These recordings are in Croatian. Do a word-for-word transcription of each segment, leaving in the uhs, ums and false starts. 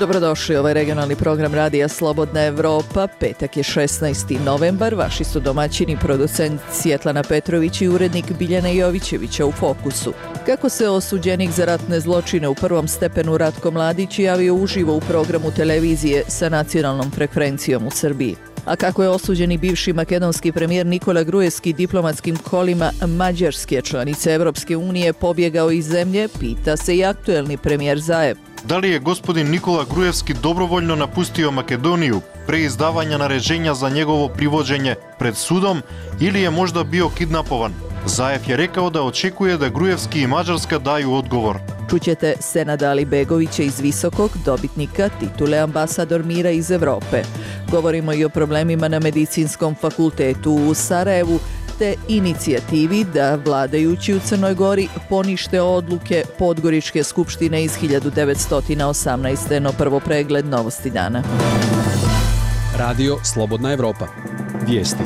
Dobrodošli, ovaj regionalni program Radija Slobodna Evropa. Petak je šesnaesti novembar. Vaši su domaćini, producent Svjetlana Petrović i urednik Biljana Jovićevića u Fokusu. Kako se osuđenik za ratne zločine u prvom stepenu Ratko Mladić javio uživo u programu televizije sa nacionalnom frekvencijom u Srbiji. A kako je osuđeni bivši makedonski premijer Nikola Gruevski diplomatskim kolima Mađarske, članice Evropske unije, pobjegao iz zemlje, pita se i aktuelni premijer Zaev. Da li je gospodin Nikola Gruevski dobrovoljno napustio Makedoniju pre izdavanja naređenja za njegovo privođenje pred sudom ili je možda bio kidnapovan? Zaev je rekao da očekuje da Gruevski i Mađarska daju odgovor. Čućete Senada Alibegovića iz Visokog, dobitnika titule ambasador mira iz Evrope. Govorimo i o problemima na Medicinskom fakultetu u Sarajevu, te inicijativi da vladajući u Crnoj Gori ponište odluke Podgoričke skupštine iz hiljadu devetsto osamnaeste. No prvo pregled novosti dana. Radio Slobodna Evropa. Vijesti.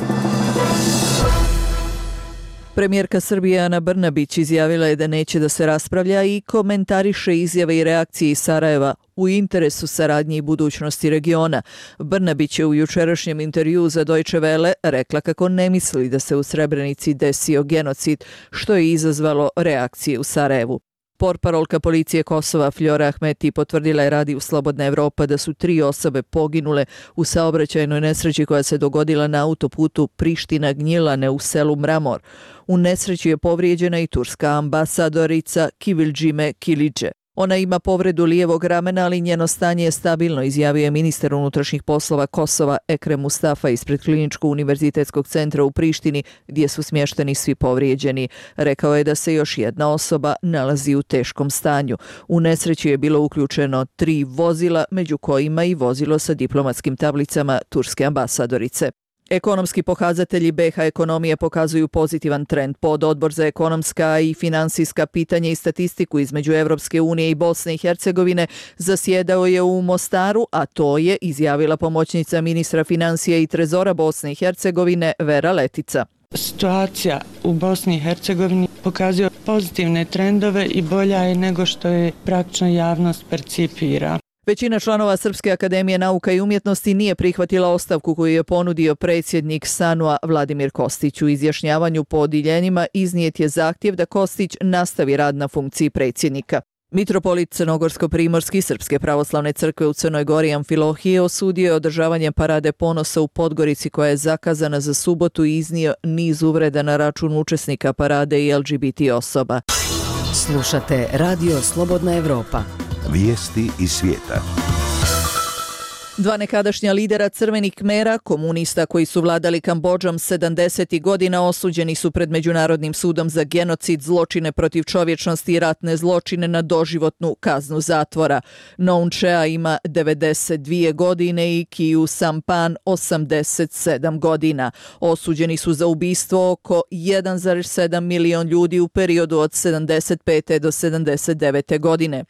Premijerka Srbije Ana Brnabić izjavila je da neće da se raspravlja i komentariše izjave i reakcije iz Sarajeva u interesu saradnje i budućnosti regiona. Brnabić je u jučerašnjem intervjuu za Deutsche Welle rekla kako ne misli da se u Srebrenici desio genocid, što je izazvalo reakcije u Sarajevu. Portparolka policije Kosova Fljora Ahmeti potvrdila je Radiju Slobodna Evropa da su tri osobe poginule u saobraćajnoj nesreći koja se dogodila na autoputu Priština-Gnjilane u selu Mramor. U nesreći je povrijeđena i turska ambasadorica Kiviljime Kilidže. Ona ima povredu lijevog ramena, ali njeno stanje je stabilno, izjavio je ministar unutrašnjih poslova Kosova Ekrem Mustafa ispred Kliničko-univerzitetskog centra u Prištini, gdje su smješteni svi povrijeđeni. Rekao je da se još jedna osoba nalazi u teškom stanju. U nesreći je bilo uključeno tri vozila, među kojima i vozilo sa diplomatskim tablicama turske ambasadorice. Ekonomski pokazatelji be ha ekonomije pokazuju pozitivan trend. Pododbor za ekonomska i finansijska pitanja i statistiku između Evropske unije i Bosne i Hercegovine zasjedao je u Mostaru, a to je izjavila pomoćnica ministra financija i trezora Bosne i Hercegovine Vera Letica. Situacija u Bosni i Hercegovini pokazuje pozitivne trendove i bolja je nego što je praktično javnost percipira. Većina članova Srpske akademije nauka i umjetnosti nije prihvatila ostavku koju je ponudio predsjednik SANU-a Vladimir Kostić. U izjašnjavanju po odjeljenjima iznijet je zahtjev da Kostić nastavi rad na funkciji predsjednika. Mitropolit Crnogorsko-primorski Srpske pravoslavne crkve u Crnoj Gori Amfilohije osudio je održavanje parade ponosa u Podgorici koja je zakazana za subotu i iznio niz uvreda na račun učesnika parade i el ge be te osoba. Slušate Radio Slobodna Evropa. Vijesti iz svijeta. Dva nekadašnja lidera Crvenih Kmera, komunista koji su vladali Kambodžom sedamdesetih godina, osuđeni su pred Međunarodnim sudom za genocid, zločine protiv čovječnosti i ratne zločine na doživotnu kaznu zatvora. Noun Chea ima devedeset dvije godine i Kiu Sampan osamdeset sedam godina. Osuđeni su za ubistvo oko jedan zarez sedam milion ljudi u periodu od sedamdeset pete do sedamdeset devete godine.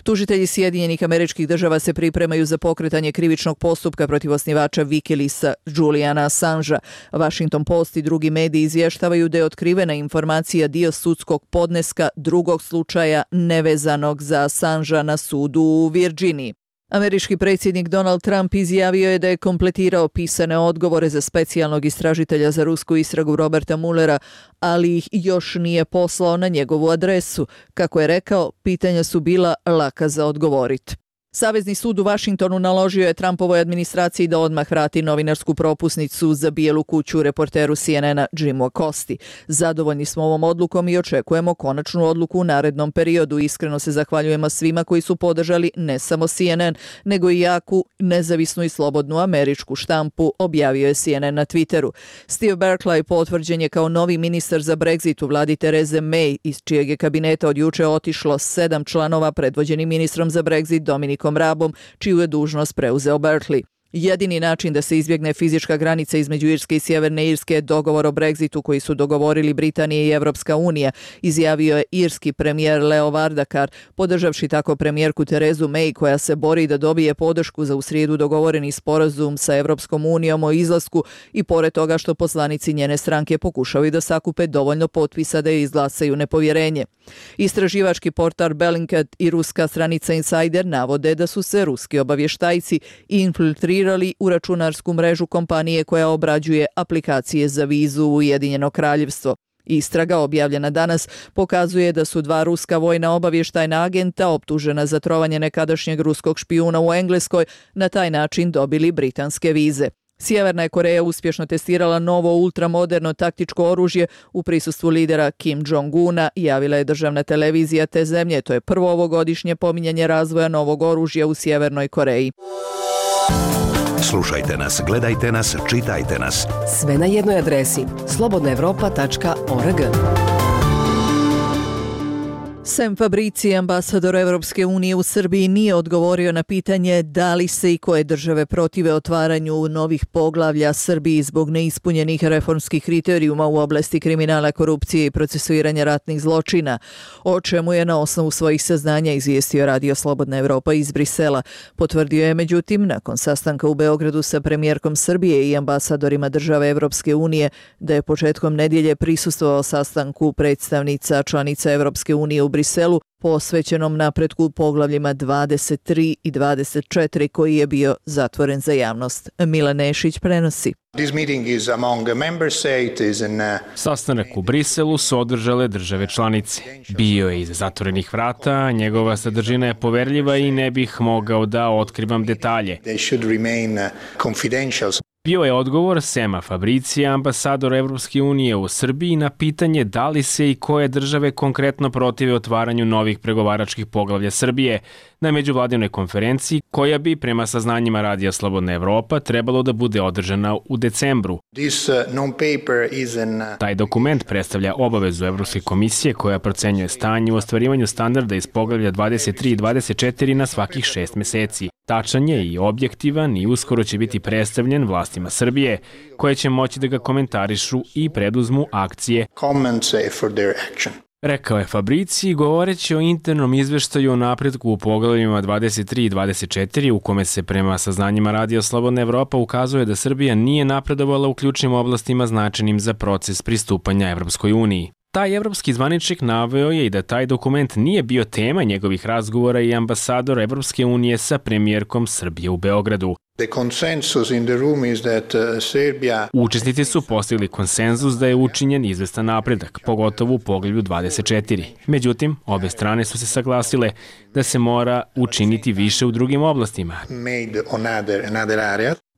Tužitelji Sjedinjenih Američkih Država se pripremaju za pokretanje krivičnog postupka protiv osnivača Wikileaksa Juliana Assangea. Washington Post i drugi mediji izvještavaju da je otkrivena informacija dio sudskog podneska drugog slučaja nevezanog za Assangea na sudu u Virginiji. Američki predsjednik Donald Trump izjavio je da je kompletirao pisane odgovore za specijalnog istražitelja za rusku istragu Roberta Muellera, ali ih još nije poslao na njegovu adresu. Kako je rekao, pitanja su bila laka za odgovoriti. Savezni sud u Washingtonu naložio je Trumpovoj administraciji da odmah vrati novinarsku propusnicu za Bijelu kuću reporteru C N N-a Jimu Acosti. Zadovoljni smo ovom odlukom i očekujemo konačnu odluku u narednom periodu. Iskreno se zahvaljujemo svima koji su podržali ne samo C N N, nego i jaku, nezavisnu i slobodnu američku štampu, objavio je C N N na Twitteru. Steve Barclay potvrđen je kao novi ministar za Brexit u vladi Therese May, iz čijeg je kabineta od juče otišlo sedam članova predvođeni ministrom za Brexit Dominikom Rabom, čiju je dužnost preuzeo Berkeley. Jedini način da se izbjegne fizička granica između Irske i Sjeverne Irske je dogovor o Brexitu koji su dogovorili Britanija i Evropska unija, izjavio je irski premijer Leo Varadkar, podržavši tako premijerku Terezu May koja se bori da dobije podršku za u srijedu dogovoreni sporazum sa Evropskom unijom o izlasku i pored toga što poslanici njene stranke pokušavaju da sakupe dovoljno potpisa da joj izglasaju nepovjerenje. Istraživački portal Bellingcat i ruska stranica Insider navode da su se ruski obavještajci infiltrirali u računarsku mrežu kompanije koja obrađuje aplikacije za vizu u Ujedinjeno kraljevstvo. Istraga objavljena danas pokazuje da su dva ruska vojna obavještajna agenta optužena za trovanje nekadašnjeg ruskog špijuna u Engleskoj na taj način dobili britanske vize. Sjeverna je Koreja uspješno testirala novo ultramoderno taktičko oružje u prisustvu lidera Kim Jong-una, javila je državna televizija te zemlje. To je prvo ovogodišnje pominjanje razvoja novog oružja u Sjevernoj Koreji. Slušajte nas, gledajte nas, čitajte nas. Sve na jednoj adresi slobodna evropa tačka org. Sem Fabrici, ambasador Evropske unije u Srbiji nije odgovorio na pitanje da li se i koje države protive otvaranju novih poglavlja Srbiji zbog neispunjenih reformskih kriterijuma u oblasti kriminala, korupcije i procesuiranja ratnih zločina, o čemu je na osnovu svojih saznanja izvijestio Radio Slobodna Evropa iz Brisela. Potvrdio je međutim, nakon sastanka u Beogradu sa premijerkom Srbije i ambasadorima države Evropske unije, da je početkom nedjelje prisustvovao sastanku predstavnica članica Evropske unije u Briselu posvećenom napretku u poglavljima dvadeset tri i dvadeset četiri koji je bio zatvoren za javnost. Milan Nešić prenosi. Sastanak u Briselu su održale države članice. Bio je iza zatvorenih vrata, njegova sadržina je poverljiva i ne bih mogao da otkrivam detalje. Bio je odgovor Sema Fabricija, ambasadora Evropske unije u Srbiji, na pitanje da li se i koje države konkretno protive otvaranju novih pregovaračkih poglavlja Srbije na međuvladinoj konferenciji koja bi, prema saznanjima Radija Slobodna Evropa, trebalo da bude održana u decembru. Taj dokument predstavlja obavezu Evropske komisije koja procenjuje stanje u ostvarivanju standarda iz poglavlja dvadeset tri i dvadeset četiri na svakih šest meseci. Tačan je i objektivan i uskoro će biti predstavljen vlastima Srbije, koje će moći da ga komentarišu i preduzmu akcije. Rekao je Fabrici, govoreći o internom izveštaju o napretku u poglavljima dvadeset tri i dvadeset četiri, u kome se prema saznanjima Radija Slobodna Evropa ukazuje da Srbija nije napredovala u ključnim oblastima značajnim za proces pristupanja Evropskoj uniji. Taj evropski zvaničnik naveo je i da taj dokument nije bio tema njegovih razgovora i ambasadora Evropske unije sa premijerkom Srbije u Beogradu. Učesnici su postigli konsenzus da je učinjen izvestan napredak, pogotovo u poglavlju dvadeset četiri. Međutim, obe strane su se saglasile da se mora učiniti više u drugim oblastima.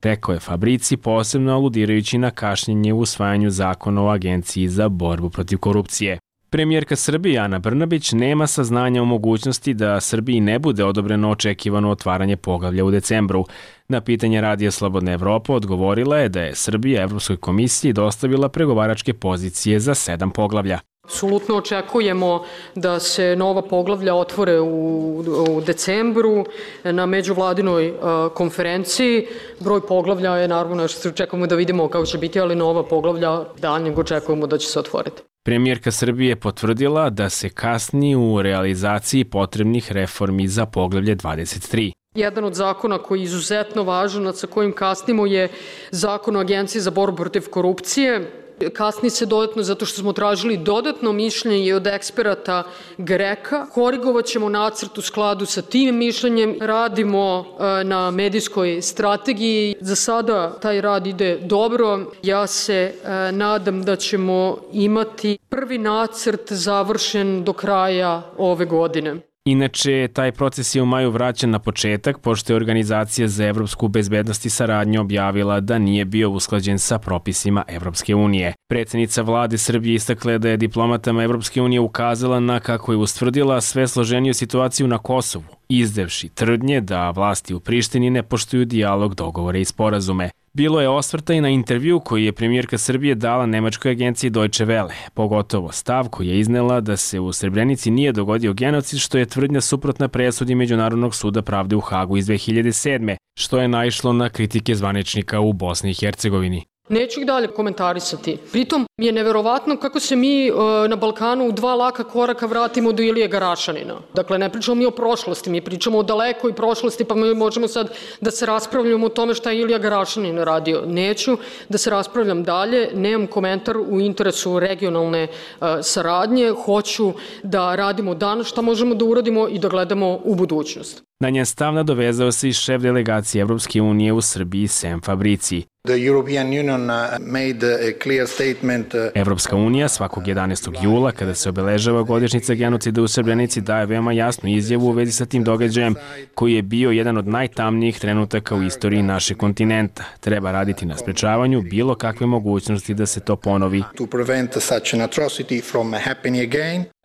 Rekao je Fabrici, posebno aludirajući na kašnjenje u usvajanju zakona o Agenciji za borbu protiv korupcije. Premijerka Srbije Ana Brnabić nema saznanja o mogućnosti da Srbiji ne bude odobreno očekivano otvaranje poglavlja u decembru. Na pitanje Radija Slobodna Evropa odgovorila je da je Srbija Evropskoj komisiji dostavila pregovaračke pozicije za sedam poglavlja. Apsolutno očekujemo da se nova poglavlja otvore u, u decembru na međuvladinoj uh, konferenciji. Broj poglavlja je naravno nešto što očekujemo da vidimo kako će biti, ali nova poglavlja daljnjeg očekujemo da će se otvoriti. Premijerka Srbije potvrdila da se kasni u realizaciji potrebnih reformi za poglavlje dvadeset tri. Jedan od zakona koji je izuzetno važan, sa kojim kasnimo, je Zakon o Agenciji za borbu protiv korupcije. Kasni se dodatno zato što smo tražili dodatno mišljenje od eksperata Greka. Korigovat ćemo nacrt u skladu sa tim mišljenjem. Radimo na medijskoj strategiji. Za sada taj rad ide dobro. Ja se nadam da ćemo imati prvi nacrt završen do kraja ove godine. Inače, taj proces je u maju vraćan na početak, pošto je Organizacija za evropsku bezbednost i saradnju objavila da nije bio usklađen sa propisima Evropske unije. Predsjednica vlade Srbije istakla da je diplomatama Evropske unije ukazala na, kako je ustvrdila, sve složeniju situaciju na Kosovu izdevši tvrdnje da vlasti u Prištini ne poštuju dijalog, dogovore i sporazume. Bilo je osvrta i na intervju koji je premijerka Srbije dala nemačkoj agenciji Deutsche Welle, pogotovo stav koji je iznela da se u Srebrenici nije dogodio genocid, što je tvrdnja suprotna presudi Međunarodnog suda pravde u Hagu iz dve hiljade sedme, što je naišlo na kritike zvaničnika u Bosni i Hercegovini. Neću ih dalje komentarisati. Pritom mi je neverovatno kako se mi e, na Balkanu u dva laka koraka vratimo do Ilije Garašanina. Dakle, ne pričamo mi o prošlosti, mi pričamo o dalekoj prošlosti, pa mi možemo sad da se raspravljamo o tome šta je Ilija Garašanin radio. Neću da se raspravljam dalje, nemam komentar u interesu regionalne e, saradnje, hoću da radimo danas šta možemo da uradimo i da gledamo u budućnost. Na njen stav nadovezao se i šef delegacije Evropske unije u Srbiji Sem Fabrici. Evropska unija svakog jedanaestog jula, kada se obeležava godišnjica genocida u Srebrenici, daje veoma jasnu izjavu u vezi sa tim događajem, koji je bio jedan od najtamnijih trenutaka u istoriji našeg kontinenta. Treba raditi na sprečavanju bilo kakve mogućnosti da se to ponovi,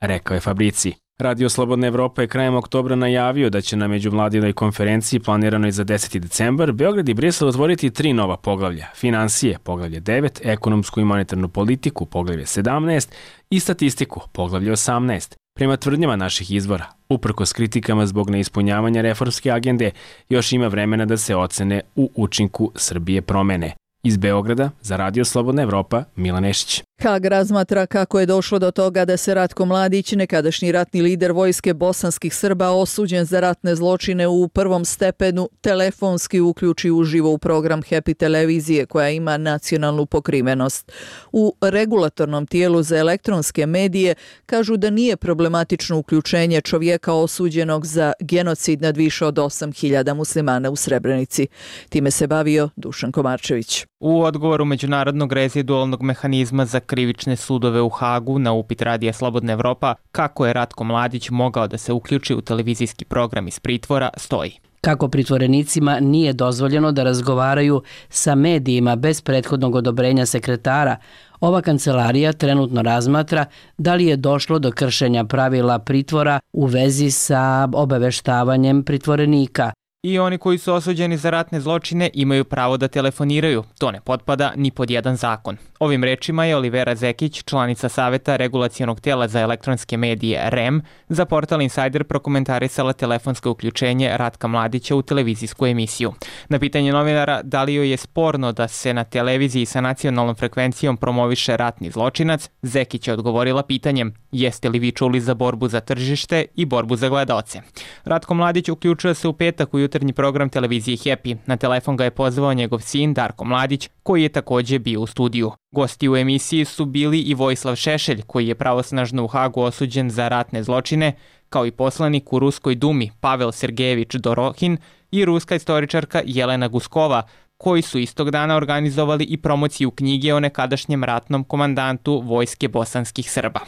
rekao je Fabrici. Radio Slobodna Evropa je krajem oktobra najavio da će na međuvladinoj konferenciji planiranoj za deseti decembar Beograd i Brisel otvoriti tri nova poglavlja: finansije, poglavlje devet, ekonomsku i monetarnu politiku, poglavlje sedamnaest i statistiku, poglavlje osamnaest. Prema tvrdnjama naših izvora, uprkos kritikama zbog neispunjavanja reformske agende, još ima vremena da se ocene u učinku Srbije promene. Iz Beograda, za Radio Slobodna Evropa, Milan Nešić. Hag razmatra kako je došlo do toga da se Ratko Mladić, nekadašnji ratni lider vojske bosanskih Srba, osuđen za ratne zločine u prvom stepenu, telefonski uključi uživo u program Happy televizije koja ima nacionalnu pokrivenost. U regulatornom tijelu za elektronske medije kažu da nije problematično uključenje čovjeka osuđenog za genocid nad više od osam hiljada muslimana u Srebrenici. Time se bavio Dušan Komarčević. U odgovoru Međunarodnog rezidualnog mehanizma za krivične sudove u Hagu na upit Radija Slobodna Evropa kako je Ratko Mladić mogao da se uključi u televizijski program iz pritvora, stoji. Kako pritvorenicima nije dozvoljeno da razgovaraju sa medijima bez prethodnog odobrenja sekretara, ova kancelarija trenutno razmatra da li je došlo do kršenja pravila pritvora u vezi sa obaveštavanjem pritvorenika. I oni koji su osuđeni za ratne zločine imaju pravo da telefoniraju. To ne potpada ni pod jedan zakon. Ovim rečima je Olivera Zekić, članica Saveta regulacionog tela za elektronske medije R E M, za portal Insider prokomentarisala telefonsko uključenje Ratka Mladića u televizijsku emisiju. Na pitanje novinara da li joj je sporno da se na televiziji sa nacionalnom frekvencijom promoviše ratni zločinac, Zekić je odgovorila pitanjem: jeste li vi čuli za borbu za tržište i borbu za gledaoce? Ratko Mladić uključio se u petak u jutarnji program televizije Happy. Na telefon ga je pozvao njegov sin Darko Mladić, koji je takođe bio u studiju. Gosti u emisiji su bili i Vojislav Šešelj, koji je pravosnažno u Hagu osuđen za ratne zločine, kao i poslanik u Ruskoj dumi Pavel Sergejević Dorohin i ruska istoričarka Jelena Guskova, koji su istog dana organizovali i promociju knjige o nekadašnjem ratnom komandantu vojske bosanskih Srba.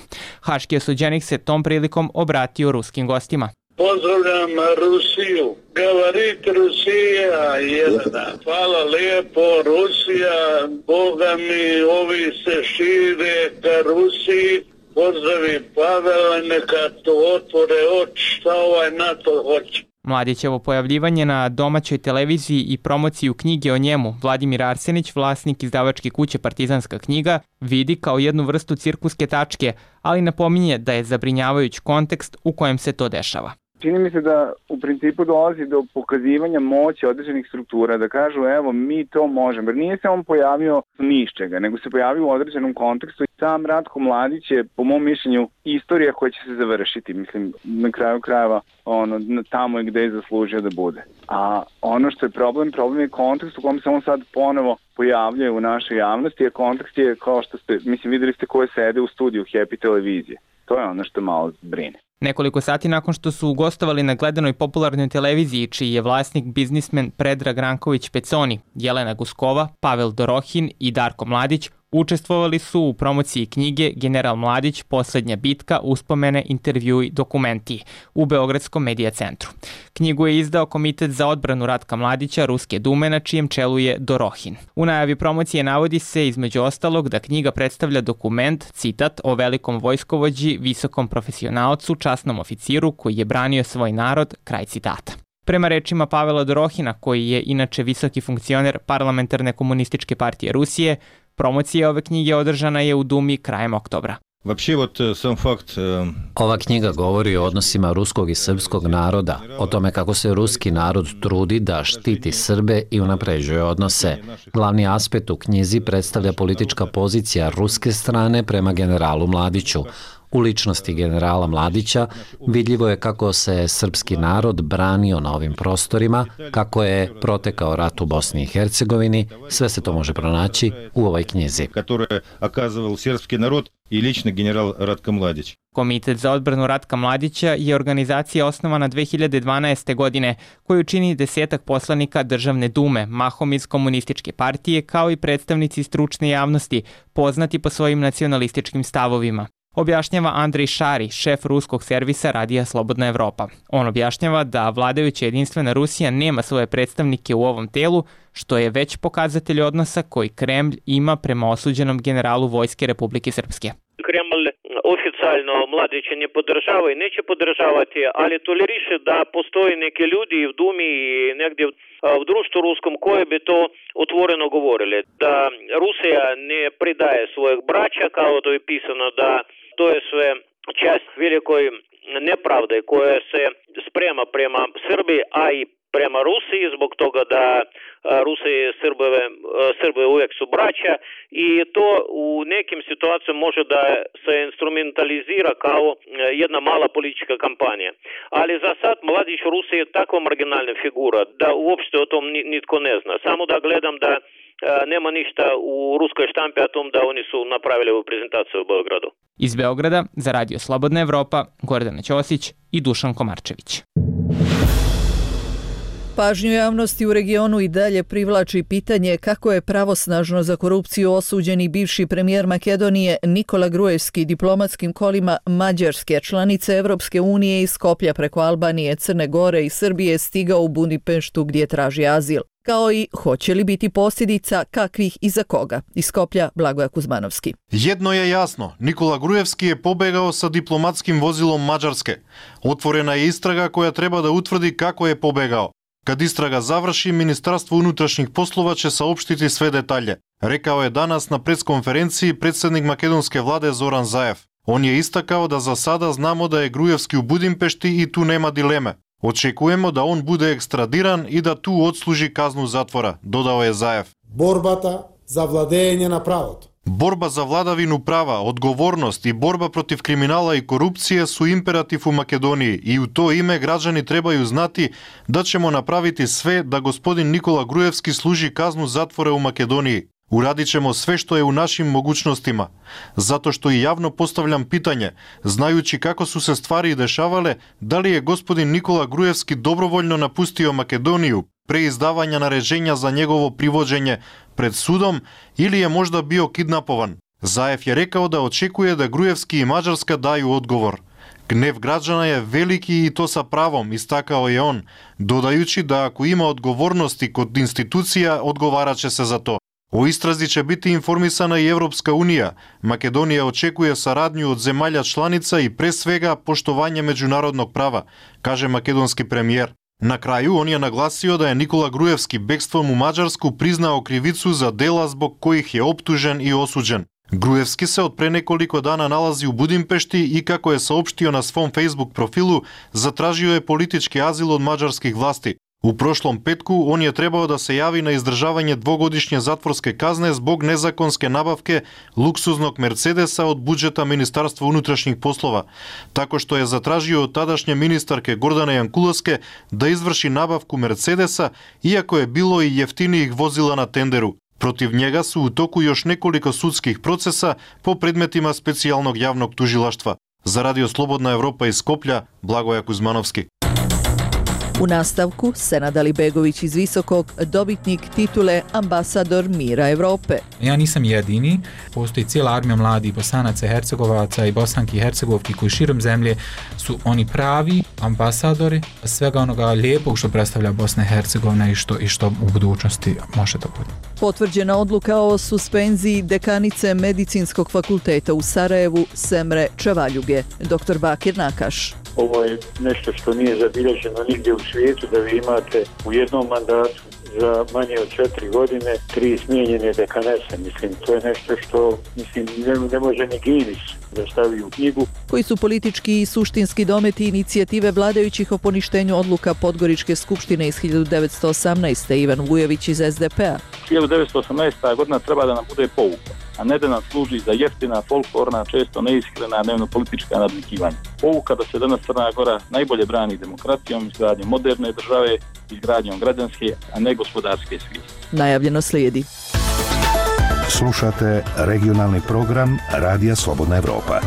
Haški osuđenik se tom prilikom obratio ruskim gostima. Pozdravljam Rusiju. Govorit Rusija jedna. Hvala lijepo Rusija. Boga mi ovi se šire ka Rusiji. Pozdravi Pavela, neka to otvore oči šta ovaj NATO hoće. Mladićevo pojavljivanje na domaćoj televiziji i promociju knjige o njemu Vladimir Arsenić, vlasnik izdavačke kuće Partizanska knjiga, vidi kao jednu vrstu cirkuske tačke, ali napominje da je zabrinjavajući kontekst u kojem se to dešava. Čini mi se da u principu dolazi do pokazivanja moći određenih struktura, da kažu evo mi to možemo. Jer nije se on pojavio ni iz čega, nego se pojavio u određenom kontekstu. Sam Ratko Mladić je, po mom mišljenju, istorija koja će se završiti. Mislim, na kraju krajeva ono, tamo je gde je zaslužio da bude. A ono što je problem, problem je kontekst u kom se on sad ponovo pojavljuje u našoj javnosti, jer kontekst je kao što ste, mislim, videli ste koje sede u studiju Happy televizije. To je ono što malo brine. Nekoliko sati nakon što su gostovali na gledanoj popularnoj televiziji, čiji je vlasnik biznismen Predrag Ranković Peconi, Jelena Guskova, Pavel Dorohin i Darko Mladić, Učestvovali su u promociji knjige General Mladić, Poslednja bitka, uspomene, intervjui, dokumenti u Beogradskom medija centru. Knjigu je izdao Komitet za odbranu Ratka Mladića Ruske dume, na čijem čelu je Dorohin. U najavi promocije navodi se između ostalog da knjiga predstavlja dokument, citat, o velikom vojskovođi, visokom profesionalcu, časnom oficiru koji je branio svoj narod, kraj citata. Prema rečima Pavela Dorohina, koji je inače visoki funkcioner Parlamentarne komunističke partije Rusije, promocija ove knjige održana je u Dumi krajem oktobra. Ova knjiga govori o odnosima ruskog i srpskog naroda, o tome kako se ruski narod trudi da štiti Srbe i unapređuje odnose. Glavni aspekt u knjizi predstavlja politička pozicija ruske strane prema generalu Mladiću. U ličnosti generala Mladića vidljivo je kako se srpski narod branio na ovim prostorima, kako je protekao rat u Bosni i Hercegovini, sve se to može pronaći u ovoj knjizi. Komitet za odbranu Ratka Mladića je organizacija osnovana dve hiljade dvanaeste. godine, koju čini desetak poslanika Državne dume, mahom iz komunističke partije, kao i predstavnici stručne javnosti, poznati po svojim nacionalističkim stavovima. Objašnjava Andrej Šari, šef ruskog servisa Radija Slobodna Evropa. On objašnjava da vladajuća jedinstvena Rusija nema svoje predstavnike u ovom telu, što je već pokazatelj odnosa koji Kremlj ima prema osuđenom generalu Vojske Republike Srpske. Kremlj oficijalno Mladića ne podržava i neće podržavati, ali toleriše da postoje neki ljudi v Dumi i negdje v društvu ruskom koji bi to otvoreno govorili. Da Rusija ne pridaje svojih braća, kao to je pisano, da to je sve čast velikoj nepravde koja se sprema prema Srbiji, a i prema Rusiji, zbog toga da Rusiji i Srbove, Srbe uvijek su braća i to u nekim situacijama može da se instrumentalizira kao jedna mala politička kampanja. Ali za sad Mladić u Rusiji je takva marginalna figura da uopšte o tom nitko ne zna. Samo da gledam da nema ništa u ruskoj štampi o tom da oni su napravili ovu prezentaciju u Beogradu. Iz Beograda za Radio Slobodna Evropa, Gordana Ćosić i Dušan Komarčević. Pažnju javnosti u regionu i dalje privlači pitanje kako je pravosnažno za korupciju osuđeni bivši premijer Makedonije Nikola Gruevski diplomatskim kolima Mađarske, članice Evropske unije, iz Skoplja preko Albanije, Crne Gore i Srbije stigao u Budimpeštu gdje traži azil. Kao i hoće li biti posljedica, kakvih i za koga. Iz Skoplja Blagoja Kuzmanovski. Jedno je jasno, Nikola Gruevski je pobegao sa diplomatskim vozilom Mađarske. Otvorena je istraga koja treba da utvrdi kako je pobegao. Kad istraga završi, Ministarstvo unutrašnjih poslova će saopštiti sve detalje, rekao je danas na preskonferenciji predsjednik makedonske vlade Zoran Zaev. On je istakao da za sada znamo da je Gruevski u Budimpešti i tu nema dileme. Očekujemo da on bude ekstradiran i da tu odsluži kaznu zatvora, dodao je Zaev. Borbata za vladajenje na pravото. Borba za vladavinu prava, odgovornost i borba protiv kriminala i korupcije su imperativ u Makedoniji i u to ime građani trebaju znati da ćemo napraviti sve da gospodin Nikola Gruevski služi kaznu zatvora u Makedoniji. Uradit ćemo sve što je u našim mogućnostima, zato što i javno postavljam pitanje, znajući kako su se stvari dešavale, da li je gospodin Nikola Gruevski dobrovoljno napustio Makedoniju pre izdavanja naređenja za njegovo privođenje pred sudom ili je možda bio kidnapovan. Zaev je rekao da očekuje da Gruevski i Mađarska daju odgovor. Gnev građana je veliki i to sa pravom, istakao je on, dodajući da ako ima odgovornosti kod institucija, odgovarat će se za to. O istrazi će biti informisana i Evropska unija. Makedonija očekuje saradnju od zemalja članica i pre svega poštovanje međunarodnog prava, kaže makedonski premijer. Na kraju on je naglasio da je Nikola Gruevski bekstvom u Mađarsku priznao krivicu za dela zbog kojih je optužen i osuđen. Gruevski se od pre nekoliko dana nalazi u Budimpešti i kako je saopštio na svom Facebook profilu, zatražio je politički azil od mađarskih vlasti. U prošlom petku on je trebao da se javi na izdržavanje dvogodišnje zatvorske kazne zbog nezakonske nabavke luksuznog Mercedesa od budžeta Ministarstva unutrašnjih poslova, tako što je zatražio od tadašnje ministarke Gordane Jankulovske da izvrši nabavku Mercedesa, iako je bilo i jeftinijih vozila na tenderu. Protiv njega su u toku još nekoliko sudskih procesa po predmetima specijalnog javnog tužilaštva. Za Radio Slobodna Evropa iz Skoplja, Blagoja Kuzmanovski. U nastavku, Senad Alibegović iz Visokog, dobitnik titule Ambasador mira Evrope. Ja nisam jedini, postoji cijela armija mladih Bosanaca, Hercegovaca i Bosanki i Hercegovki koji širom zemlje su oni pravi ambasadori svega onoga lijepog što predstavlja Bosna i Hercegovina i što, i što u budućnosti može da bude. Potvrđena odluka o suspenziji dekanice Medicinskog fakulteta u Sarajevu Semre Čavaljuge. doktor Bakir Nakaš. Ovo je nešto što nije zabilježeno nigdje u svijetu, da vi imate u jednom mandatu za manje od četiri godine tri smijenjene dekanese. Mislim, to je nešto što mislim, ne, ne može ni Guinness da stavi u knjigu. Koji su politički i suštinski dometi inicijative vladajućih o poništenju odluka Podgoričke skupštine iz hiljadu devetsto osamnaeste. Ivan Vujović iz es de pe a. hiljadu devetsto osamnaesta. godina treba da nam bude pouka, a ne da nam služi za jeftina, folklorna, često neiskrena dnevno-politička nadvikivanja. Pouka da se danas Crna Gora najbolje brani demokratijom, izgradnjom moderne države, izgradnjom građanske, a ne gospodarske svijesti. Najavljeno slijedi. Slušate regionalni program Radija Slobodna Evropa.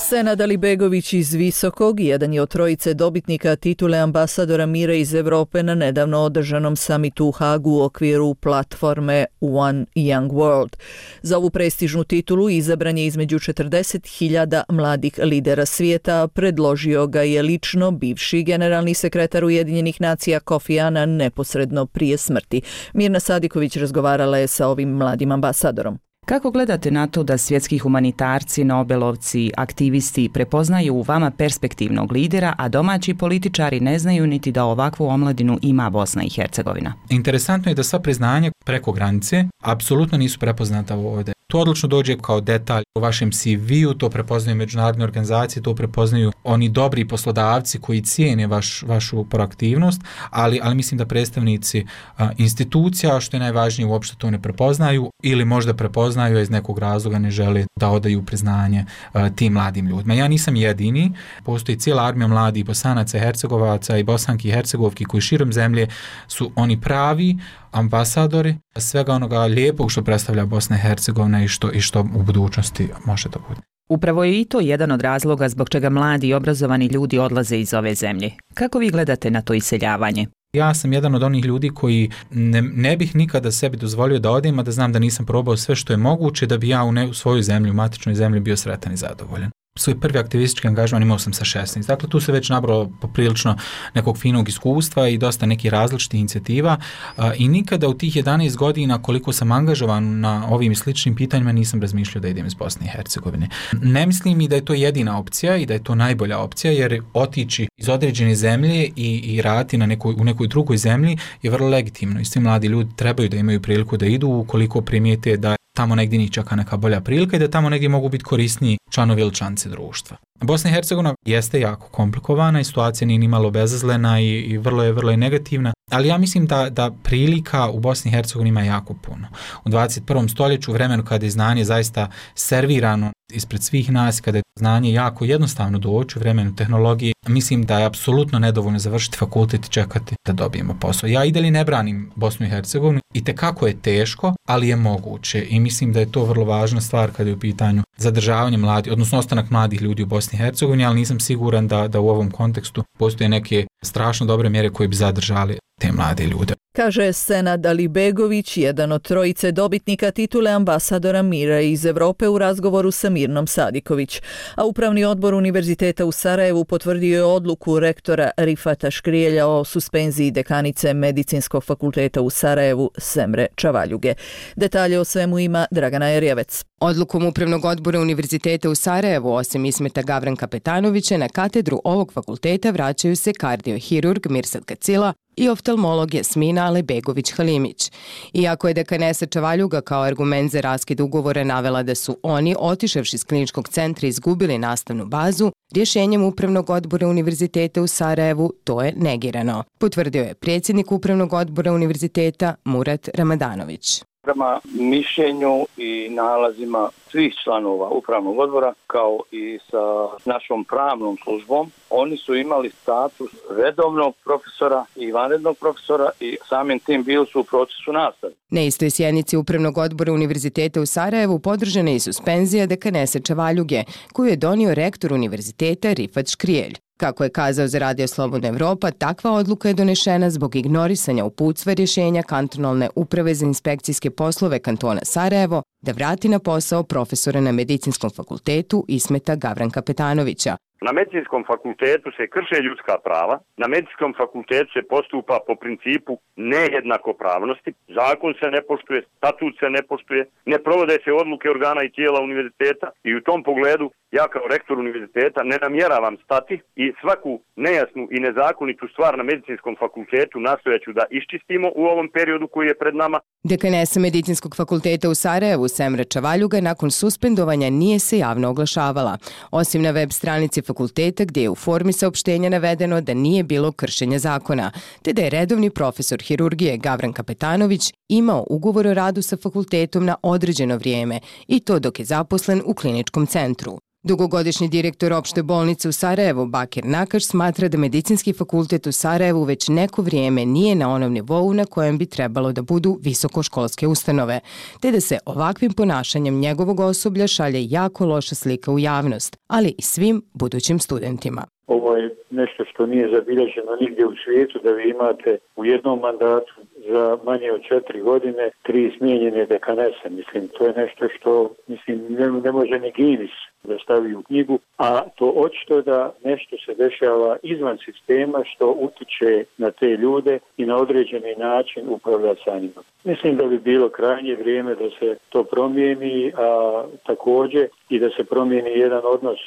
Senad Alibegović iz Visokog jedan je od trojice dobitnika titule ambasadora mira iz Evrope na nedavno održanom samitu u Hagu u okviru platforme One Young World. Za ovu prestižnu titulu izabran je između četrdeset hiljada mladih lidera svijeta, predložio ga je lično bivši generalni sekretar Ujedinjenih nacija Kofi Annan neposredno prije smrti. Mirna Sadiković razgovarala je sa ovim mladim ambasadorom. Kako gledate na to da svjetski humanitarci, nobelovci, aktivisti prepoznaju u vama perspektivnog lidera, a domaći političari ne znaju niti da ovakvu omladinu ima Bosna i Hercegovina? Interesantno je da sva priznanja preko granice apsolutno nisu prepoznata ovdje. To odlično dođe kao detalj u vašem C V-u, to prepoznaju međunarodne organizacije, to prepoznaju oni dobri poslodavci koji cijene vaš, vašu proaktivnost, ali, ali mislim da predstavnici a, institucija, što je najvažnije, uopšte to ne prepoznaju ili možda prepoznaju, a iz nekog razloga ne žele da odaju priznanje a, tim mladim ljudima. Ja nisam jedini, postoji cijela armija mladih Bosanaca, Hercegovaca i Bosanki i Hercegovki koji širom zemlje su oni pravi ambasadori svega onoga lijepog što predstavlja Bosna i Hercegovina i što, i što u budućnosti može da bude. Upravo je i to jedan od razloga zbog čega mladi i obrazovani ljudi odlaze iz ove zemlje. Kako vi gledate na to iseljavanje? Ja sam jedan od onih ljudi koji ne, ne bih nikada sebi dozvolio da odem, a da znam da nisam probao sve što je moguće da bi ja u, ne, u svojoj zemlji, u matičnoj zemlji bio sretan i zadovoljan. Svoj prvi aktivistički angažman imao sam sa šesnaest. Dakle, tu se već nabralo poprilično nekog finog iskustva i dosta nekih različitih inicijativa a, i nikada u tih jedanaest godina koliko sam angažovan na ovim sličnim pitanjima nisam razmišljao da idem iz Bosne i Hercegovine. Ne mislim i da je to jedina opcija i da je to najbolja opcija, jer otići iz određene zemlje i, i raditi na nekoj, u nekoj drugoj zemlji je vrlo legitimno i svi mladi ljudi trebaju da imaju priliku da idu ukoliko primijete da tamo negdje njih čeka neka bolja prilika i da tamo negdje mogu biti korisniji članovi ili članice društva. Bosna i Hercegovina jeste jako komplikovana i situacija nije ni malo bezazlena i, i vrlo je vrlo je negativna, ali ja mislim da, da prilika u Bosni i Hercegovini ima jako puno. U dvadeset prvom stoljeću, u vremenu kada je znanje zaista servirano ispred svih nas, kada je znanje jako jednostavno doći, u vremenu tehnologije, mislim da je apsolutno nedovoljno završiti fakultet i čekati da dobijemo posao. Ja i dalje ne branim Bosnu i Hercegovinu i tekako je teško, ali je moguće i mislim da je to vrlo važna stvar kada je u pitanju zadržavanje mladih, odnosno ostanak mladih ljudi u Bosni i Hercegovini, ali nisam siguran da, da u ovom kontekstu postoje neke strašno dobre mjere koje bi zadržali te mlade ljude. Kaže Senad Alibegović, jedan od trojice dobitnika titule ambasadora mira iz Evrope u razgovoru sa Mirnom Sadiković. A Upravni odbor Univerziteta u Sarajevu potvrdio je odluku rektora Rifata Škrijelja o suspenziji dekanice Medicinskog fakulteta u Sarajevu Semre Čavaljuge. Detalje o svemu ima Dragana Jerjevec. Odlukom Upravnog odbora Univerziteta u Sarajevu, osim Ismeta Gavranka Petanovića, na katedru ovog fakulteta vraćaju se kardiohirurg Mirsad Kacila i oftalmolog Jasmina Alibegović-Halimić. Iako je dekanesa Čavaljuga kao argument za raskid ugovora navela da su oni, otišavši iz kliničkog centra, izgubili nastavnu bazu, rješenjem Upravnog odbora Univerziteta u Sarajevu to je negirano, potvrdio je predsjednik Upravnog odbora Univerziteta Murat Ramadanović. Prema mišljenju i nalazima svih članova upravnog odbora, kao i sa našom pravnom službom, oni su imali status redovnog profesora i vanrednog profesora i samim tim bili su u procesu nastave. Na istoj sjednici Upravnog odbora Univerziteta u Sarajevu podržana je i suspenzija dekanese Čavaljuge, koju je donio rektor univerziteta Rifat Škrijelj. Kako je kazao za Radio Slobodna Evropa, takva odluka je donešena zbog ignorisanja uputstva rješenja kantonalne uprave za inspekcijske poslove kantona Sarajevo da vrati na posao profesora na Medicinskom fakultetu Ismeta Gavranka Petanovića. Na Medicinskom fakultetu se krše ljudska prava, na Medicinskom fakultetu se postupa po principu nejednakopravnosti, zakon se ne poštuje, statut se ne poštuje, ne provode se odluke organa i tijela univerziteta i u tom pogledu ja kao rektor univerziteta ne namjeravam stati i svaku nejasnu i nezakonitu stvar na Medicinskom fakultetu nastojaću da iščistimo u ovom periodu koji je pred nama. Dekanesa Medicinskog fakulteta u Sarajevu Semra Čavaljuga nakon suspendovanja nije se javno oglašavala, osim na web stranici fakulteta gdje je u formi saopštenja navedeno da nije bilo kršenja zakona, te da je redovni profesor hirurgije Gavranka Petanović imao ugovor o radu sa fakultetom na određeno vrijeme i to dok je zaposlen u kliničkom centru. Dugogodišnji direktor opšte bolnice u Sarajevu Bakir Nakaš smatra da Medicinski fakultet u Sarajevu već neko vrijeme nije na onom nivou na kojem bi trebalo da budu visokoškolske ustanove, te da se ovakvim ponašanjem njegovog osoblja šalje jako loša slika u javnost, ali i svim budućim studentima. Ovo je nešto što nije zabilježeno nigdje u svijetu, da vi imate u jednom mandatu za manje od četiri godine tri smijenjene dekanese. Mislim, to je nešto što mislim, ne, ne može ni Guinness da stavi u knjigu, a to očito da nešto se dešava izvan sistema što utiče na te ljude i na određeni način upravlja sa njima. Mislim da bi bilo krajnje vrijeme da se to promijeni, a također i da se promijeni jedan odnos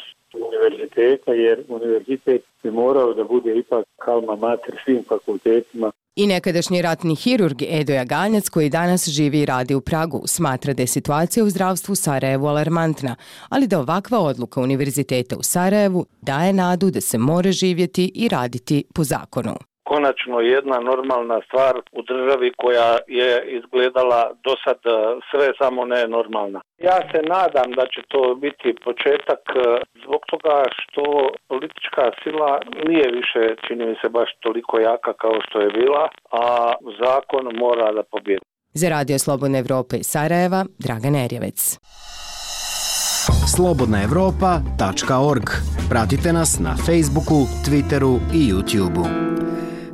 univerziteta, jer univerzitet bi morao da bude ipak alma mater svim fakultetima. I nekadašnji ratni hirurg Edo Jaganjac, koji danas živi i radi u Pragu, smatra da je situacija u zdravstvu u Sarajevu alarmantna, ali da ovakva odluka Univerziteta u Sarajevu daje nadu da se more živjeti i raditi po zakonu. Konačno jedna normalna stvar u državi koja je izgledala do sad sve samo ne normalna. Ja se nadam da će to biti početak zbog toga što politička sila nije više, čini mi se, baš toliko jaka kao što je bila, a zakon mora da pobjedi. Za Radio Slobodna Evropa iz Sarajeva, Dragan Erjevec. slobodna evropa tačka org. Pratite nas na Facebooku, Twitteru i YouTubeu.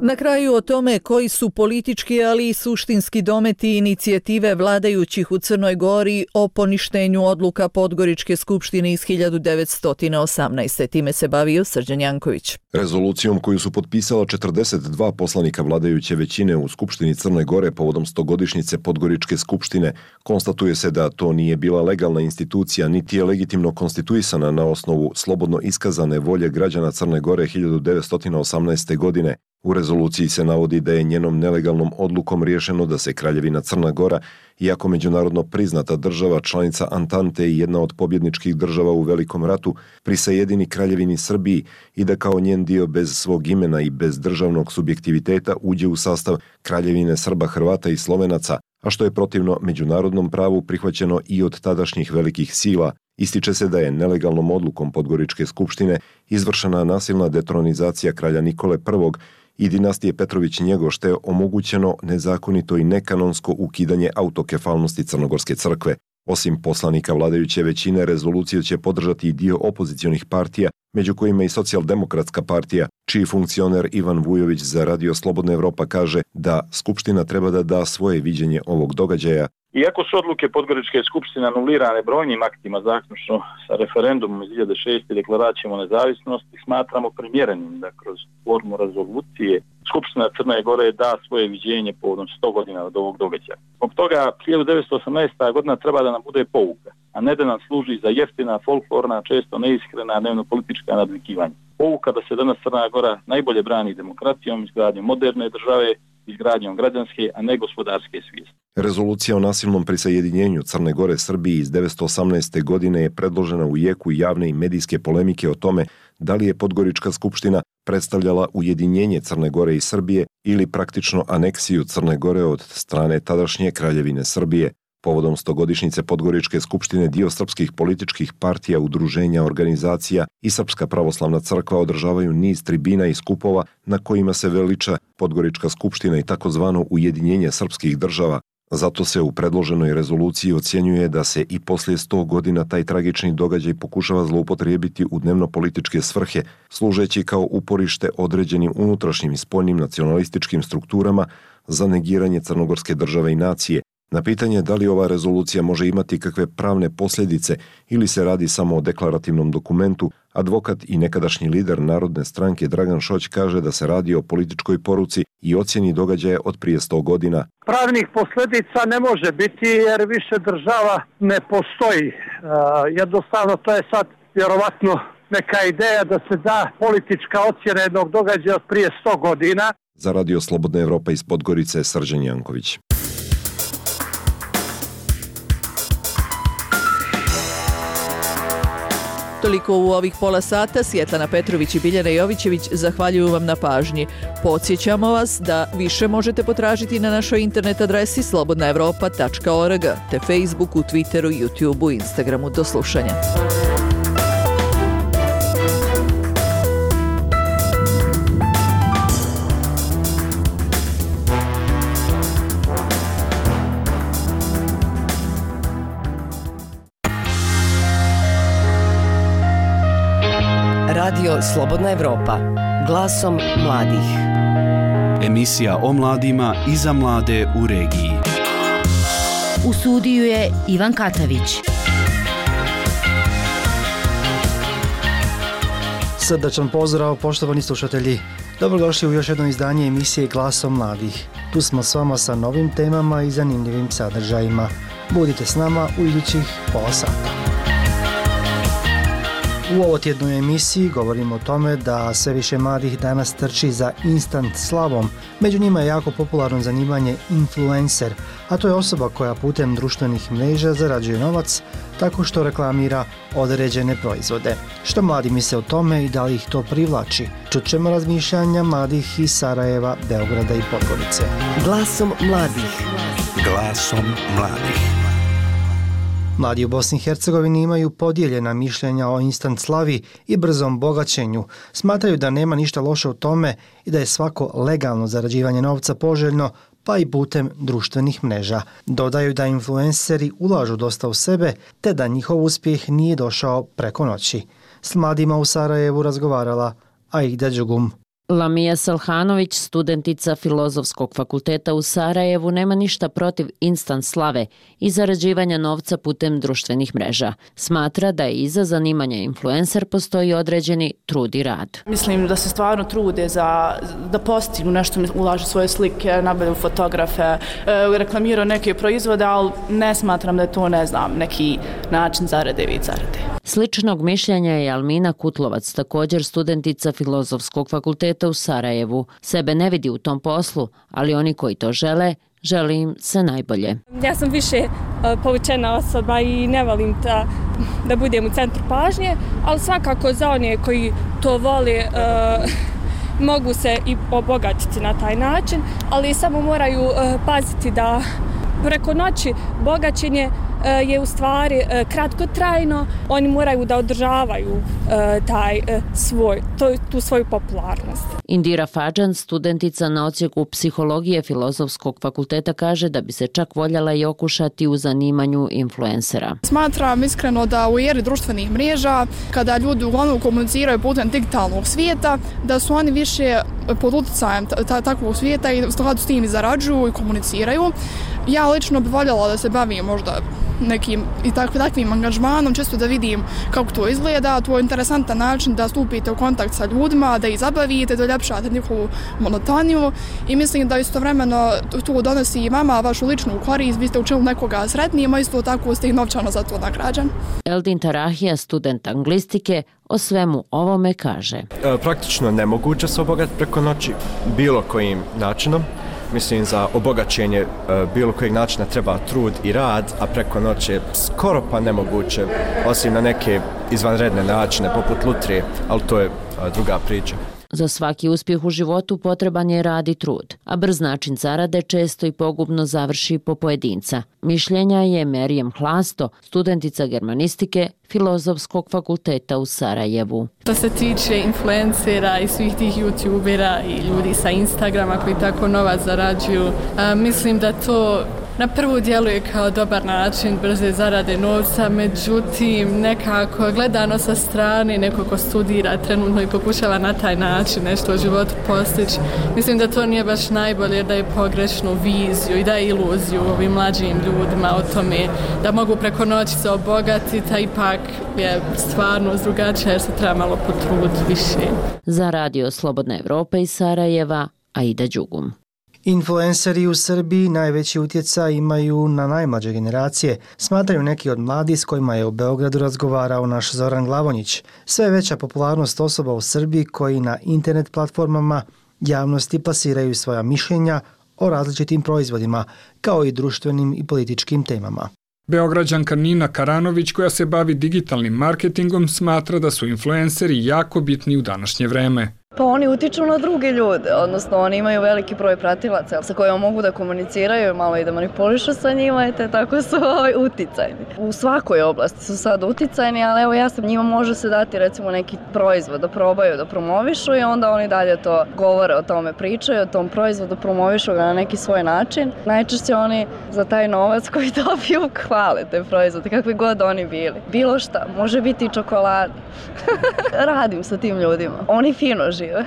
Na kraju o tome koji su politički, ali i suštinski dometi inicijative vladajućih u Crnoj Gori o poništenju odluka Podgoričke skupštine iz hiljadu devetsto osamnaeste. Time se bavio Srđan Janković. Rezolucijom koju su potpisala četrdeset dva poslanika vladajuće većine u Skupštini Crne Gore povodom stogodišnjice Podgoričke skupštine, konstatuje se da to nije bila legalna institucija, niti je legitimno konstituisana na osnovu slobodno iskazane volje građana Crne Gore hiljadu devetsto osamnaeste. godine. U rezoluciji se navodi da je njenom nelegalnom odlukom riješeno da se Kraljevina Crna Gora, iako međunarodno priznata država, članica Antante i jedna od pobjedničkih država u Velikom ratu, prisajedini Kraljevini Srbiji i da kao njen dio bez svog imena i bez državnog subjektiviteta uđe u sastav Kraljevine Srba, Hrvata i Slovenaca, a što je protivno međunarodnom pravu prihvaćeno i od tadašnjih velikih sila. Ističe se da je nelegalnom odlukom Podgoričke skupštine izvršena nasilna detronizacija kralja Nikole prvog i dinastije Petrović-Njegoš, te omogućeno nezakonito i nekanonsko ukidanje autokefalnosti Crnogorske crkve. Osim poslanika vladajuće većine, rezoluciju će podržati i dio opozicionih partija, među kojima i Socijaldemokratska partija, čiji funkcioner Ivan Vujović za Radio Slobodna Evropa kaže da Skupština treba da da svoje viđenje ovog događaja. Iako su odluke Podgoričke skupštine anulirane brojnim aktima, zaključno sa referendumom iz dvije hiljade šeste. deklaracijom o nezavisnosti, smatramo primjerenim da kroz formu rezolucije Skupština Crne Gore da svoje viđenje povodom sto godina od ovog događaja. Zbog toga hiljadu devetsto osamnaesta. godina treba da nam bude pouka, a ne da nam služi za jeftina, folklorna, često neiskrena dnevno-politička nadvikivanja. Pouka da se danas Crna Gora najbolje brani demokracijom, izgradnjom moderne države, izgradnjom građanske, a ne gospodarske svijesti. Rezolucija o nasilnom prisajedinjenju Crne Gore Srbiji iz devetsto osamnaeste. godine je predložena u jeku javne i medijske polemike o tome da li je Podgorička skupština predstavljala ujedinjenje Crne Gore i Srbije ili praktično aneksiju Crne Gore od strane tadašnje Kraljevine Srbije. Povodom stogodišnjice Podgoričke skupštine dio srpskih političkih partija, udruženja, organizacija i Srpska pravoslavna crkva održavaju niz tribina i skupova na kojima se veliča Podgorička skupština i takozvano ujedinjenje srpskih država. Zato se u predloženoj rezoluciji ocjenjuje da se i poslije sto godina taj tragični događaj pokušava zloupotrijebiti u dnevno-političke svrhe, služeći kao uporište određenim unutrašnjim i spoljnim nacionalističkim strukturama za negiranje crnogorske države i nacije. Na pitanje da li ova rezolucija može imati kakve pravne posljedice ili se radi samo o deklarativnom dokumentu, advokat i nekadašnji lider Narodne stranke Dragan Šoć kaže da se radi o političkoj poruci i ocjeni događaja od prije sto godina. Pravnih posljedica ne može biti jer više država ne postoji. E, jednostavno to je sad vjerovatno neka ideja da se da politička ocjena jednog događaja od prije sto godina. Za Radio Slobodna Evropa iz Podgorice, Srđan Janković. Toliko u ovih pola sata. Svjetlana Petrović i Biljana Jovićević zahvaljuju vam na pažnji. Podsjećamo vas da više možete potražiti na našoj internet adresi slobodna evropa tačka org, te Facebooku, Twitteru, YouTubeu, Instagramu. Do slušanja. Radio Slobodna Evropa, glasom mladih. Emisija o mladima i za mlade u regiji. U studiju je Ivan Katavić. Srdačan pozdrav, poštovani slušatelji. Dobrodošli u još jedno izdanje emisije Glasom mladih. Tu smo s vama sa novim temama i zanimljivim sadržajima. Budite s nama u idućih pola sata. U ovotjednoj emisiji govorimo o tome da sve više mladih danas trči za instant slavom. Među njima je jako popularno zanimanje influencer, a to je osoba koja putem društvenih mreža zarađuje novac tako što reklamira određene proizvode. Što mladi misle o tome i da li ih to privlači? Čut ćemo razmišljanja mladih iz Sarajeva, Beograda i Podgorice. Glasom mladih. Glasom mladih. Mladi u Bosni i Hercegovini imaju podijeljena mišljenja o instant slavi i brzom bogaćenju. Smatraju da nema ništa loše u tome i da je svako legalno zarađivanje novca poželjno, pa i putem društvenih mreža. Dodaju da influenceri ulažu dosta u sebe, te da njihov uspjeh nije došao preko noći. S mladima u Sarajevu razgovarala Aida Đugum. Lamija Salhanović, studentica Filozofskog fakulteta u Sarajevu, nema ništa protiv instant slave i zarađivanja novca putem društvenih mreža. Smatra da je iza zanimanja influencer postoji određeni trud i rad. Mislim da se stvarno trude za, da postignu nešto, ulažu svoje slike, nabavljaju fotografe, reklamiraju neke proizvode, ali ne smatram da je to, ne znam, neki način zarade i zarade. Sličnog mišljenja je Almina Kutlovac, također studentica Filozofskog fakulteta u Sarajevu. Sebe ne vidi u tom poslu, ali oni koji to žele, želi im se najbolje. Ja sam više uh, povučena osoba i ne volim da, da budem u centru pažnje, ali svakako za one koji to vole uh, mogu se i obogatiti na taj način, ali samo moraju uh, paziti da preko noći bogaćenje je u stvari kratkotrajno, oni moraju da održavaju taj svoj, tu svoju popularnost. Indira Fadžan, studentica na odsjeku psihologije Filozofskog fakulteta, kaže da bi se čak voljela i okušati u zanimanju influencera. Smatram iskreno da u eri društvenih mreža, kada ljudi uglavnom komuniciraju putem digitalnog svijeta, da su oni više pod utjecajem takvog svijeta i u skladu s tim i zarađuju i komuniciraju. Ja lično bih voljela da se bavim možda nekim i tak, takvim angažmanom, čisto da vidim kako to izgleda. To je interesantan način da stupite u kontakt sa ljudima, da ih zabavite, da uljepšate njihovu monotoniju i mislim da istovremeno to donosi i vama vašu ličnu korist, vi ste učinili nekoga sretnijima, isto tako ste i novčano za to nagrađen. Eldin Tarahija, student anglistike, o svemu ovome kaže. E, praktično nemoguće se obogatiti preko noći bilo kojim načinom. Mislim, za obogaćenje e, bilo kojeg načina treba trud i rad, a preko noći je skoro pa nemoguće, osim na neke izvanredne načine, poput lutrije, ali to je e, druga priča. Za svaki uspjeh u životu potreban je rad i trud, a brz način zarade često i pogubno završi po pojedinca. Mišljenja je Merijem Hlasto, studentica germanistike Filozofskog fakulteta u Sarajevu. Što se tiče influencera i svih tih youtubera i ljudi sa Instagrama koji tako novac zarađuju, a, mislim da to Na prvu djeluje kao dobar način brze zarade novca, međutim nekako gledano sa strane, neko ko studira trenutno i pokušava na taj način nešto u životu postići. Mislim da to nije baš najbolje, da je pogrešnu viziju i da je iluziju ovim mlađim ljudima o tome da mogu preko noći se obogatiti, a ipak je stvarno drugačije jer se treba malo potruditi više. Za Radio Slobodna Evropa iz Sarajeva, Aida Đugum. Influenceri u Srbiji najveći utjecaj imaju na najmlađe generacije, smatraju neki od mladih s kojima je u Beogradu razgovarao naš Zoran Glavonjić. Sve je veća popularnost osoba u Srbiji koji na internet platformama javnosti plasiraju svoja mišljenja o različitim proizvodima, kao i društvenim i političkim temama. Beograđanka Nina Karanović, koja se bavi digitalnim marketingom, smatra da su influenceri jako bitni u današnje vreme. Pa oni utiču na druge ljude, odnosno oni imaju veliki broj pratilaca sa kojima mogu da komuniciraju, malo i da manipulišu sa njima i te tako su uticajni. U svakoj oblasti su sad uticajni, ali evo ja sam njima može se dati recimo neki proizvod da probaju, da promovišu i onda oni dalje to govore o tome, pričaju o tom proizvodu, promovišu ga na neki svoj način. Najčešće oni za taj novac koji dobiju hvale te proizvode, kakvi god oni bili. Bilo šta, može biti i čokolada. Radim sa tim ljudima. Oni fino žive.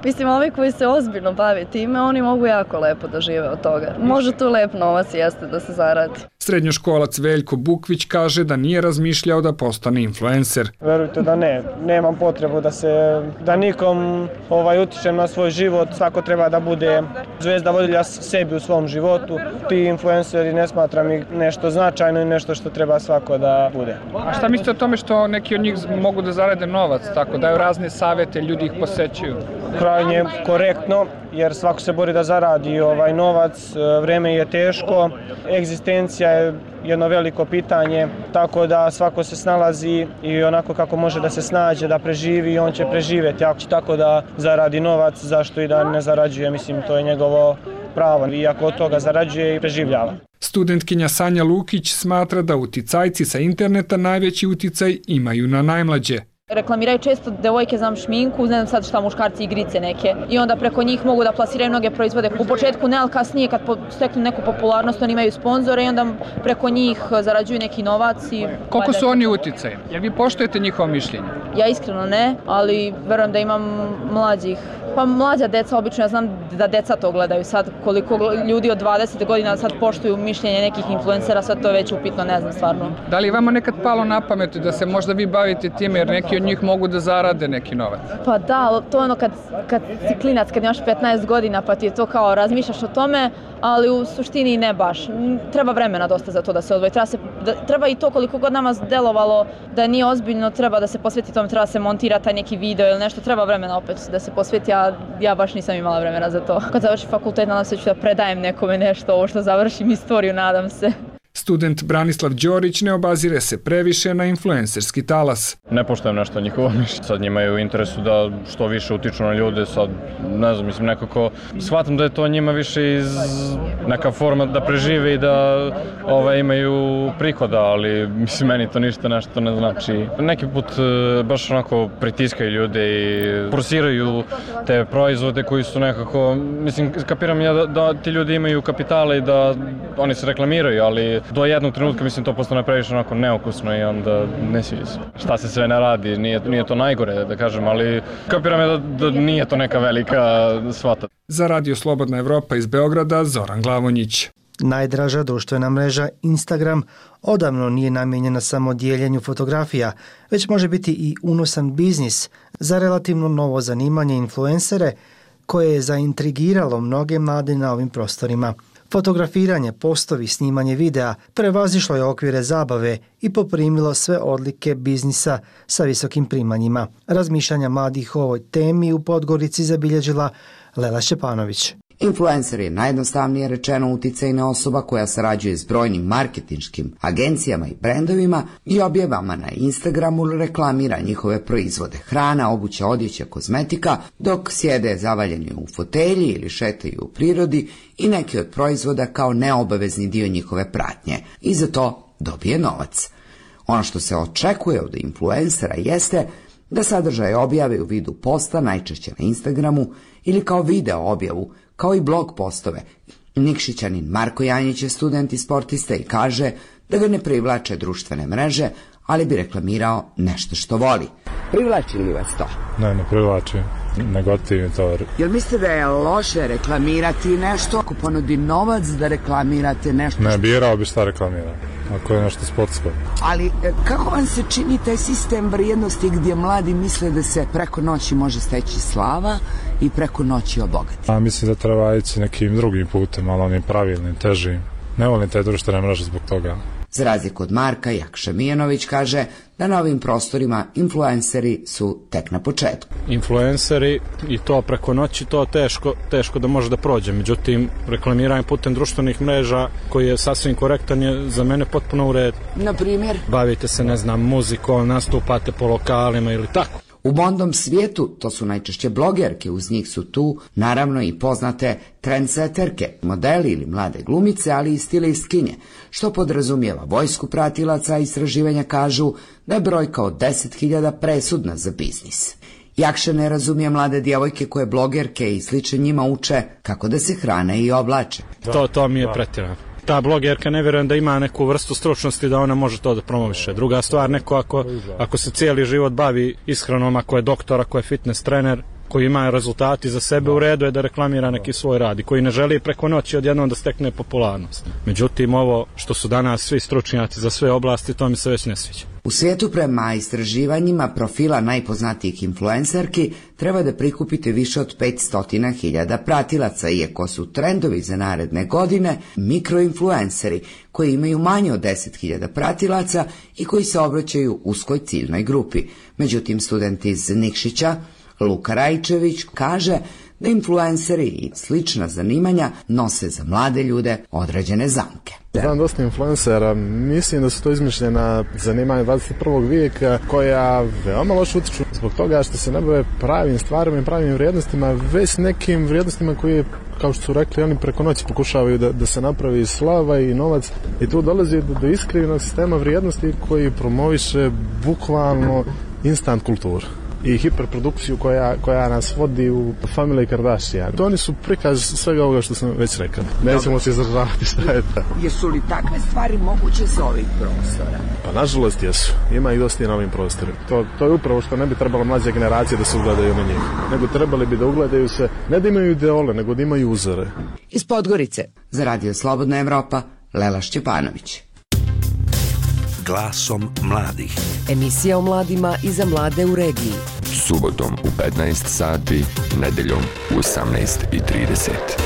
Mislim, ovi koji se ozbiljno bave time, oni mogu jako lepo da žive od toga. Može tu lep novac jeste da se zaradi. Srednjoškolac Veljko Bukvić kaže da nije razmišljao da postane influencer. Verujte da ne, nemam potrebu da se, da nikom ovaj, utičem na svoj život, svako treba da bude zvezda vodilja sebi u svom životu. Ti influenceri ne smatram ih nešto značajno i nešto što treba svako da bude. A šta mislite o tome što neki od njih mogu da zarade novac, tako daju razne savjete, ljudi ih posećuju? Krajnje korektno, jer svako se bori da zaradi ovaj novac, vreme je teško, egzistencija je jedno veliko pitanje, tako da svako se snalazi i onako kako može da se snađe, da preživi i on će preživjeti. Ako će tako da zaradi novac, zašto i da ne zarađuje, mislim, to je njegovo pravo. I ako od toga zarađuje i preživljava. Studentkinja Sanja Lukić smatra da uticajci sa interneta najveći uticaj imaju na najmlađe. Reklamiraju često devojke za šminku, ne znam sad šta, muškarci, igrice neke. I onda preko njih mogu da plasiraju mnoge proizvode. U početku ne, ali kasnije kad steknu neku popularnost, oni imaju sponzore i onda preko njih zarađuju neki novac. I koliko su oni uticajni? Jel vi poštujete njihovo mišljenje? Ja iskreno ne, ali verujem da imam mlađih. Pa mlađa deca, obično ja znam da deca to gledaju sad. Koliko ljudi od dvadeset godina sad poštuju mišljenje nekih influencera, sad to je već upitno, ne znam stvarno. Da li je vama nekad palo na pamet da se možda vi bavite time jer neki od njih mogu da zarade neki novac? Pa da, to je ono kad, kad si klinac, kad imaš petnaest godina pa ti je to kao razmišljaš o tome, ali u suštini ne baš. Treba vremena dosta za to da se odvoji. Treba, se, da, treba i to koliko god nama delovalo da nije ozbiljno, treba da se posveti tome, treba se montira taj neki video ili nešto, treba vremena opet da se posveti, a ja baš nisam imala vremena za to. Kad završim fakultet, nadam se ću da predajem nekome nešto, ovo što završim istoriju, nadam se. Student Branislav Đorić ne obazire se previše na influencerski talas. Ne poštujem nešto njihovo mišljenje. Sad njima je u interesu da što više utiču na ljude. Sad, ne znam, mislim nekako shvatam da je to njima više iz neka forma da prežive i da ovaj, imaju prihoda, ali mislim meni to ništa nešto ne znači. Neki put baš onako pritiskaju ljude i forsiraju te proizvode koji su nekako, mislim kapiram ja da, da ti ljudi imaju kapitale i da oni se reklamiraju, ali do jednog trenutka mislim to postane previše onako neokusno i onda ne sviđa se. Šta se sve ne radi, nije, nije to najgore da kažem, ali kapiram je da, da nije to neka velika svata. Za Radio Slobodna Evropa iz Beograda, Zoran Glavonjić. Najdraža društvena mreža Instagram odavno nije namijenjena samo dijeljenju fotografija, već može biti i unosan biznis za relativno novo zanimanje influencere koje je zaintrigiralo mnoge mlade na ovim prostorima. Fotografiranje, postovi, snimanje videa prevazišlo je okvire zabave i poprimilo sve odlike biznisa sa visokim primanjima. Razmišljanja mladih o ovoj temi u Podgorici zabilježila Lela Šćepanović. Influencer je najjednostavnije rečeno uticajna osoba koja sarađuje s brojnim marketinškim agencijama i brendovima i objavama na Instagramu reklamira njihove proizvode, hrana, obuća, odjeća, kozmetika, dok sjede zavaljeni u fotelji ili šetaju u prirodi i neki od proizvoda kao neobavezni dio njihove pratnje i za to dobije novac. Ono što se očekuje od influencera jeste da sadržaj objave u vidu posta, najčešće na Instagramu, ili kao video objavu, kao i blog postove, Nikšićanin Marko Janjić je student i sportista i kaže da ga ne privlače društvene mreže, ali bi reklamirao nešto što voli. Privlači li vas to? Ne, ne privlači. Negativni to. Jel mislite da je loše reklamirati nešto ako ponudi novac da reklamirate nešto? Ne, birao bi šta reklamira, ako je nešto sportsko. Ali kako vam se čini taj sistem vrijednosti gdje mladi misle da se preko noći može steći slava i preko noći obogati? A mislim da treba ići nekim drugim putem, ali onim pravilnim, težim. Ne volim te društvene mreže zbog toga. Za razliku od Marka, Jakša Mijanović kaže da na ovim prostorima influenceri su tek na početku. Influenceri i to preko noći, to teško, teško da može da prođe. Međutim, reklamiranje putem društvenih mreža koji je sasvim korektan je za mene potpuno u redu. Na primjer? Bavite se, ne znam, muzikom, nastupate po lokalima ili tako. U modnom svijetu to su najčešće blogerke, uz njih su tu naravno i poznate trendseterke, modeli ili mlade glumice, ali i stilistkinje, što podrazumijeva vojsku pratilaca, a istraživanja kažu da je brojka od deset hiljada presudna za biznis. Jakša ne razumije mlade djevojke koje blogerke i sliče njima uče kako da se hrane i oblače. To, to mi je pretjerano. Ta blogerka ne vjerujem da ima neku vrstu stručnosti da ona može to da promoviše. Druga stvar, neko ako, ako se cijeli život bavi ishranom, ako je doktor, ako je fitness trener, koji ima rezultati za sebe, u redu je da reklamira neki svoj rad i koji ne želi preko noći odjednom da stekne popularnost. Međutim, ovo što su danas svi stručnjaci za sve oblasti, to mi se već ne sviđa. U svijetu prema istraživanjima profila najpoznatijih influencerki treba da prikupite više od petsto hiljada pratilaca, iako su trendovi za naredne godine mikroinfluenceri koji imaju manje od deset hiljada pratilaca i koji se obraćaju uskoj ciljnoj grupi. Međutim, student iz Nikšića Luka Rajčević kaže da influenceri i slična zanimanja nose za mlade ljude određene zamke. Znam dosta influencera, mislim da su to izmišljena zanimanja dvadeset prvog vijeka koja veoma loše utiču zbog toga što se ne bave pravim stvarima i pravim vrijednostima, već nekim vrijednostima koje, kao što su rekli, oni preko noći pokušavaju da, da se napravi slava i novac i tu dolazi do, do iskrivnog sistema vrijednosti koji promoviše bukvalno instant kulturu i hiperprodukciju koja, koja nas vodi u Family Kardashian. To oni su prikaz svega ovoga što sam već rekao. Nećemo se izdržavati šta je to. Jesu li takve stvari moguće sa ovih prostora? Pa nažalost jesu. Ima ih dosta i na ovim prostorima. To, to je upravo što ne bi trebalo mlađe generacije da se ugledaju na njih. Nego trebali bi da ugledaju se, ne da imaju ideole, nego da imaju uzore. Iz Podgorice, za Radio Slobodna Evropa, Lela Šćepanović. Glasom mladih. Emisija o mladima i za mlade u regiji. Subotom u petnaest sati, nedeljom u osamnaest i trideset.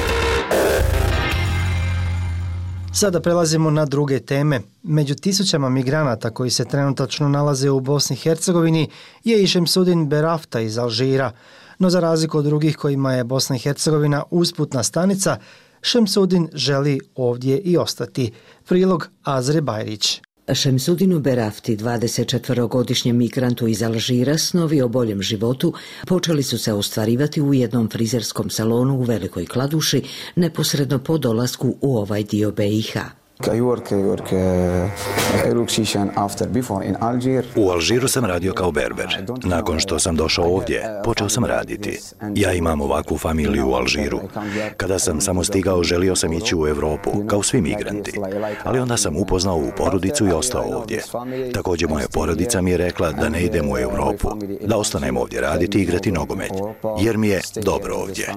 Sada prelazimo na druge teme. Među tisućama migranata koji se trenutačno nalaze u Bosni i Hercegovini je i Šemsudin Berafta iz Alžira. No za razliku od drugih kojima je Bosna i Hercegovina usputna stanica, Šemsudin želi ovdje i ostati. Prilog Azre Bajrić. Šemsudinu Berafti, dvadesetčetvorogodišnjem migrantu iz Alžira, snovi o boljem životu počeli su se ostvarivati u jednom frizerskom salonu u Velikoj Kladuši, neposredno po dolasku u ovaj dio B i H. U Alžiru sam radio kao berber. Nakon što sam došao ovdje, počeo sam raditi. Ja imam ovakvu familiju u Alžiru. Kada sam samo stigao, želio sam ići u Evropu, kao svi migranti. Ali onda sam upoznao ovu porodicu i ostao ovdje. Također moja porodica mi je rekla da ne idem u Evropu, da ostanem ovdje raditi i igrati nogomet, jer mi je dobro ovdje.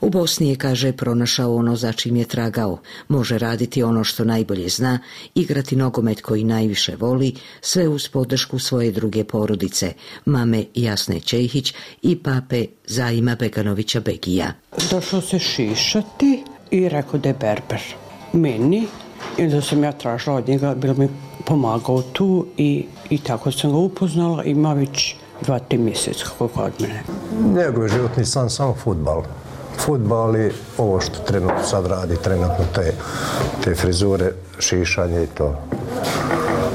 U Bosni je, kaže, pronašao ono za čim je tragao. Može raditi ono što najbolje zna, igrati nogomet koji najviše voli, sve uz podršku svoje druge porodice, mame Jasne Čehić i pape Zaima Beganovića Begija. Došao se šišati i rekao da je berber. Meni, i da sam ja tražila od njega, bilo mi pomagao tu i, i tako sam ga upoznala, ima već dva, tri mjeseca kako kod mene. Njegov životni san samo fudbal. Fudbal i ovo što trenutno sad radi, trenutno te, te frizure, šišanje i to.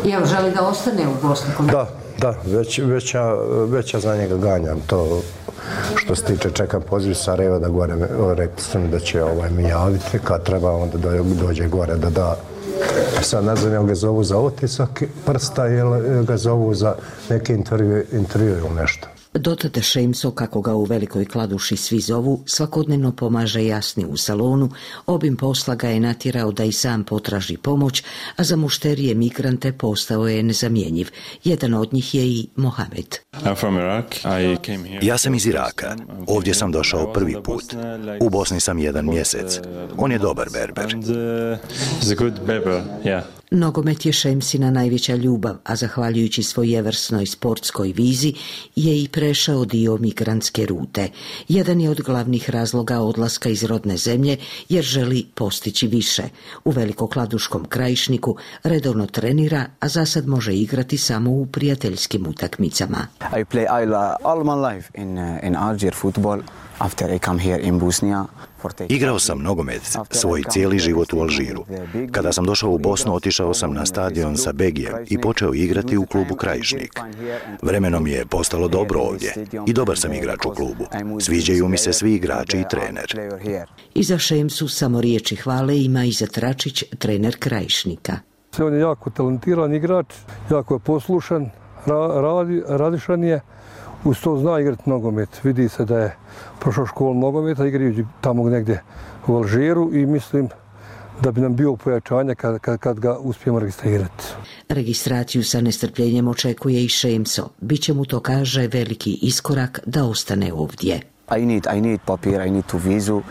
Jel želi da ostane u Bosni? Da, da, već, već, ja, već ja za njega ganjam to. Što se tiče, čekam poziv Sarajeva da gore, rekli su mi da će ovaj, mi javiti, kad treba onda dođe gore da da. Sad ne znam, jel ga zovu za otisak prsta ili ga zovu za neki intervju, intervju ili nešto. Dotad Šemso, kako ga u Velikoj Kladuši svi zovu, svakodnevno pomaže Jasni u salonu, obim posla ga je natjerao da i sam potraži pomoć, a za mušterije migrante postao je nezamjenjiv. Jedan od njih je i Mohamed. Ja sam iz Iraka. Ovdje sam došao prvi put. U Bosni sam jedan mjesec. On je dobar berber. Nogomet je Šemsina najveća ljubav, a zahvaljujući svojevrsnoj sportskoj vizi je i prešao dio migrantske rute. Jedan je od glavnih razloga odlaska iz rodne zemlje jer želi postići više. U Velikokladuškom Krajišniku redovno trenira, a za sad može igrati samo u prijateljskim utakmicama. I play all my life in in Alger football. After I come here in Bosnia. Igrao sam nogomet svoj cijeli život u Alžiru. Kada sam došao u Bosnu, otišao sam na stadion sa Begijem i počeo igrati u klubu Krajišnik. Vremenom je postalo dobro ovdje i dobar sam igrač u klubu. Sviđaju mi se svi igrači i trener. Iza Šemsu samo riječi hvale ima Izet Račić, trener Krajišnika. On je jako talentiran igrač, jako je poslušan, radi, radišan je. Uz to zna igrati nogomet. Vidi se da je prošao školu nogometa, igrajući tamo negdje u Alžiru i mislim da bi nam bio pojačanje kad, kad, kad ga uspijemo registrirati. Registraciju sa nestrpljenjem očekuje i Šemso. Biće mu to, kaže, veliki iskorak da ostane ovdje. I need, I need papir, I need to vizu.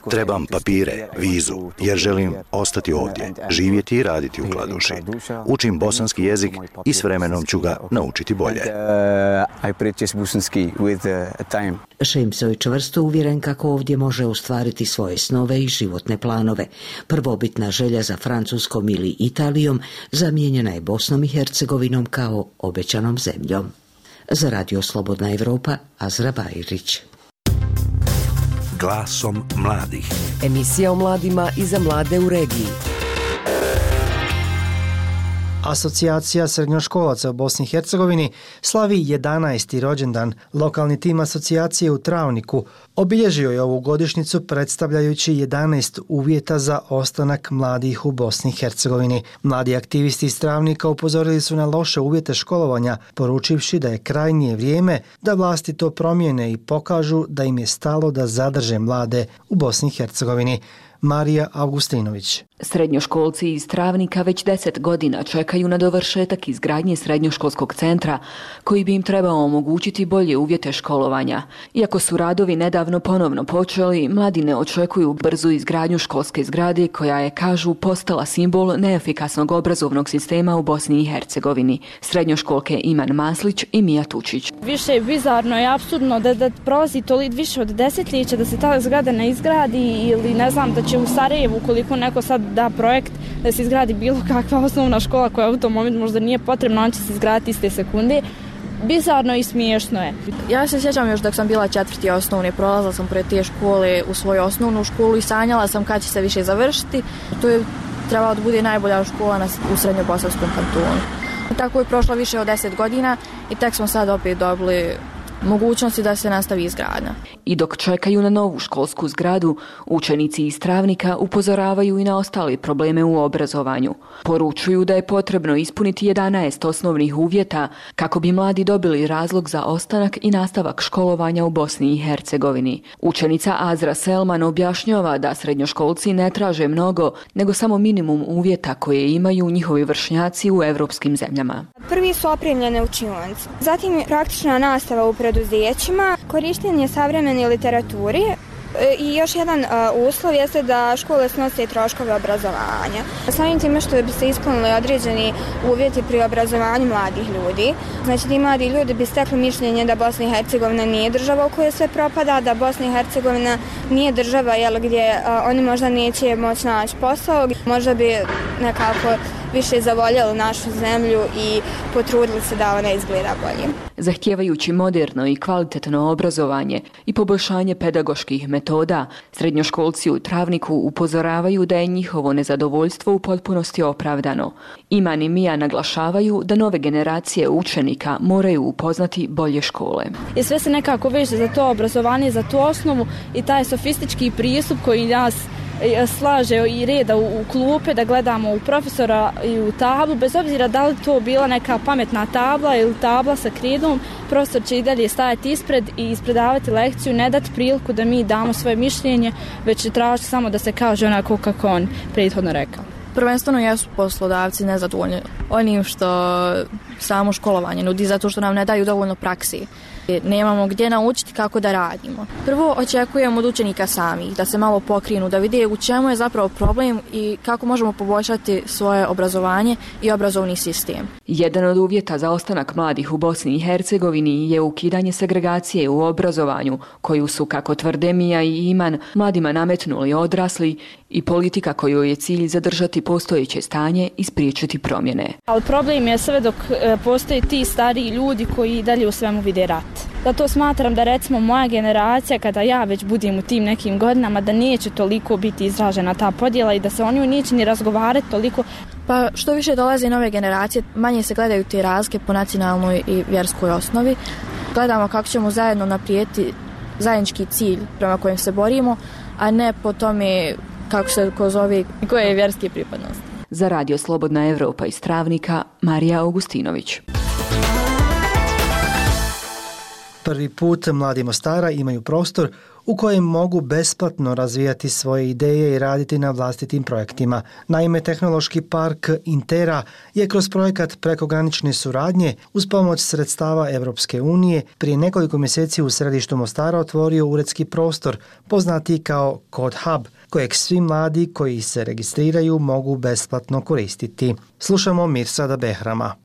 Trebam papire, vizu, jer želim ostati ovdje, živjeti i raditi u Kladuši. Učim bosanski jezik i s vremenom ću ga naučiti bolje. I practice bosanski with time. Šemso je čvrsto uvjeren kako ovdje može ostvariti svoje snove i životne planove. Prvobitna želja za Francuskom ili Italijom zamijenjena je Bosnom i Hercegovinom kao obećanom zemljom. Za Radio Slobodna Evropa, Azra Bajrić. Glasom mladih. Emisija o mladima i za mlade u regiji. Asocijacija srednjoškolaca u Bosni i Hercegovini slavi jedanaesti rođendan. Lokalni tim asocijacije u Travniku obilježio je ovu godišnjicu predstavljajući jedanaest uvjeta za ostanak mladih u Bosni i Hercegovini. Mladi aktivisti iz Travnika upozorili su na loše uvjete školovanja, poručivši da je krajnje vrijeme da vlasti to promijene i pokažu da im je stalo da zadrže mlade u Bosni i Hercegovini. Marija Augustinović. Srednjoškolci iz Travnika već deset godina čekaju na dovršetak izgradnje srednjoškolskog centra koji bi im trebao omogućiti bolje uvjete školovanja. Iako su radovi nedavno ponovno počeli, mladi ne očekuju brzu izgradnju školske zgrade koja je, kažu, postala simbol neefikasnog obrazovnog sistema u Bosni i Hercegovini. Srednjoškolke Iman Maslić i Mija Tučić. Više je bizarno i apsurdno da, da prolazi toliko više od desetljeća da se ta zgrada ne izgradi ili ne znam da će u Sarajevu, koliko neko sad da projekt da se izgradi bilo kakva osnovna škola koja u tom momentu možda nije potrebna, on će se izgraditi iste sekunde. Bizarno i smiješno je. Ja se sjećam još dok sam bila četvrti osnovne, prolazila sam pred te škole u svoju osnovnu školu i sanjala sam kad će se više završiti. To je trebalo da bude najbolja škola na, u Srednjobosanskom kantonu. Tako je prošlo više od deset godina i tek smo sad opet dobili mogućnosti da se nastavi izgradnja. I dok čekaju na novu školsku zgradu, učenici iz Travnika upozoravaju i na ostale probleme u obrazovanju. Poručuju da je potrebno ispuniti jedanaest osnovnih uvjeta kako bi mladi dobili razlog za ostanak i nastavak školovanja u Bosni i Hercegovini. Učenica Azra Selman objašnjava da srednjoškolci ne traže mnogo, nego samo minimum uvjeta koje imaju njihovi vršnjaci u evropskim zemljama. Prvi su opremljene učionice, zatim praktična nastava u preduzećima, korištenje savremene literaturi i još jedan uh, uslov jeste da škole snose troškove obrazovanja. Samim time što bi se ispunili određeni uvjeti pri obrazovanju mladih ljudi, znači ti mladi ljudi bi stekli mišljenje da Bosna i Hercegovina nije država u kojoj sve propada, da Bosna i Hercegovina nije država jel, gdje uh, oni možda neće moći naći posao, možda bi nekako više zavoljeli našu zemlju i potrudili se da ona izgleda bolje. Zahtijevajući moderno i kvalitetno obrazovanje i poboljšanje pedagoških metoda, srednjoškolci u Travniku upozoravaju da je njihovo nezadovoljstvo u potpunosti opravdano. Iman i Mija naglašavaju da nove generacije učenika moraju upoznati bolje škole. I sve se nekako veže za to obrazovanje, za tu osnovu i taj sofistički pristup koji nas slaže i reda u, u klupe, da gledamo u profesora i u tablu, bez obzira da li to bila neka pametna tabla ili tabla sa kridom, profesor će i dalje stajati ispred i ispredavati lekciju, ne dati priliku da mi damo svoje mišljenje, već će tražiti samo da se kaže onako kako on prethodno rekao. Prvenstveno jesu poslodavci nezadovoljni onim što samo školovanje nudi, zato što nam ne daju dovoljno praksi. Nemamo gdje naučiti kako da radimo. Prvo očekujemo od učenika samih da se malo pokrinu, da vide u čemu je zapravo problem i kako možemo poboljšati svoje obrazovanje i obrazovni sistem. Jedan od uvjeta za ostanak mladih u Bosni i Hercegovini je ukidanje segregacije u obrazovanju, koju su, kako tvrde Mija i Iman, mladima nametnuli odrasli i politika koju je cilj zadržati postojeće stanje i spriječiti promjene. Ali problem je sve dok postoje ti stariji ljudi koji dalje u svemu vide rat. Zato smatram da recimo moja generacija, kada ja već budem u tim nekim godinama, da neće toliko biti izražena ta podjela i da se oni neće ni razgovarati toliko. Pa što više dolaze nove generacije, manje se gledaju te razlike po nacionalnoj i vjerskoj osnovi. Gledamo kako ćemo zajedno naprijeti zajednički cilj prema kojem se borimo, a ne po tome kako se ko zove i koje je vjerske pripadnosti. Za Radio Slobodna Evropa iz Travnika, Marija Augustinović. Prvi put mladi Mostara imaju prostor u kojem mogu besplatno razvijati svoje ideje i raditi na vlastitim projektima. Naime, Tehnološki park Intera je kroz projekat prekogranične suradnje uz pomoć sredstava Evropske unije prije nekoliko mjeseci u središtu Mostara otvorio uredski prostor, poznati kao Code Hub, kojeg svi mladi koji se registriraju mogu besplatno koristiti. Slušamo Mirsada Behrama.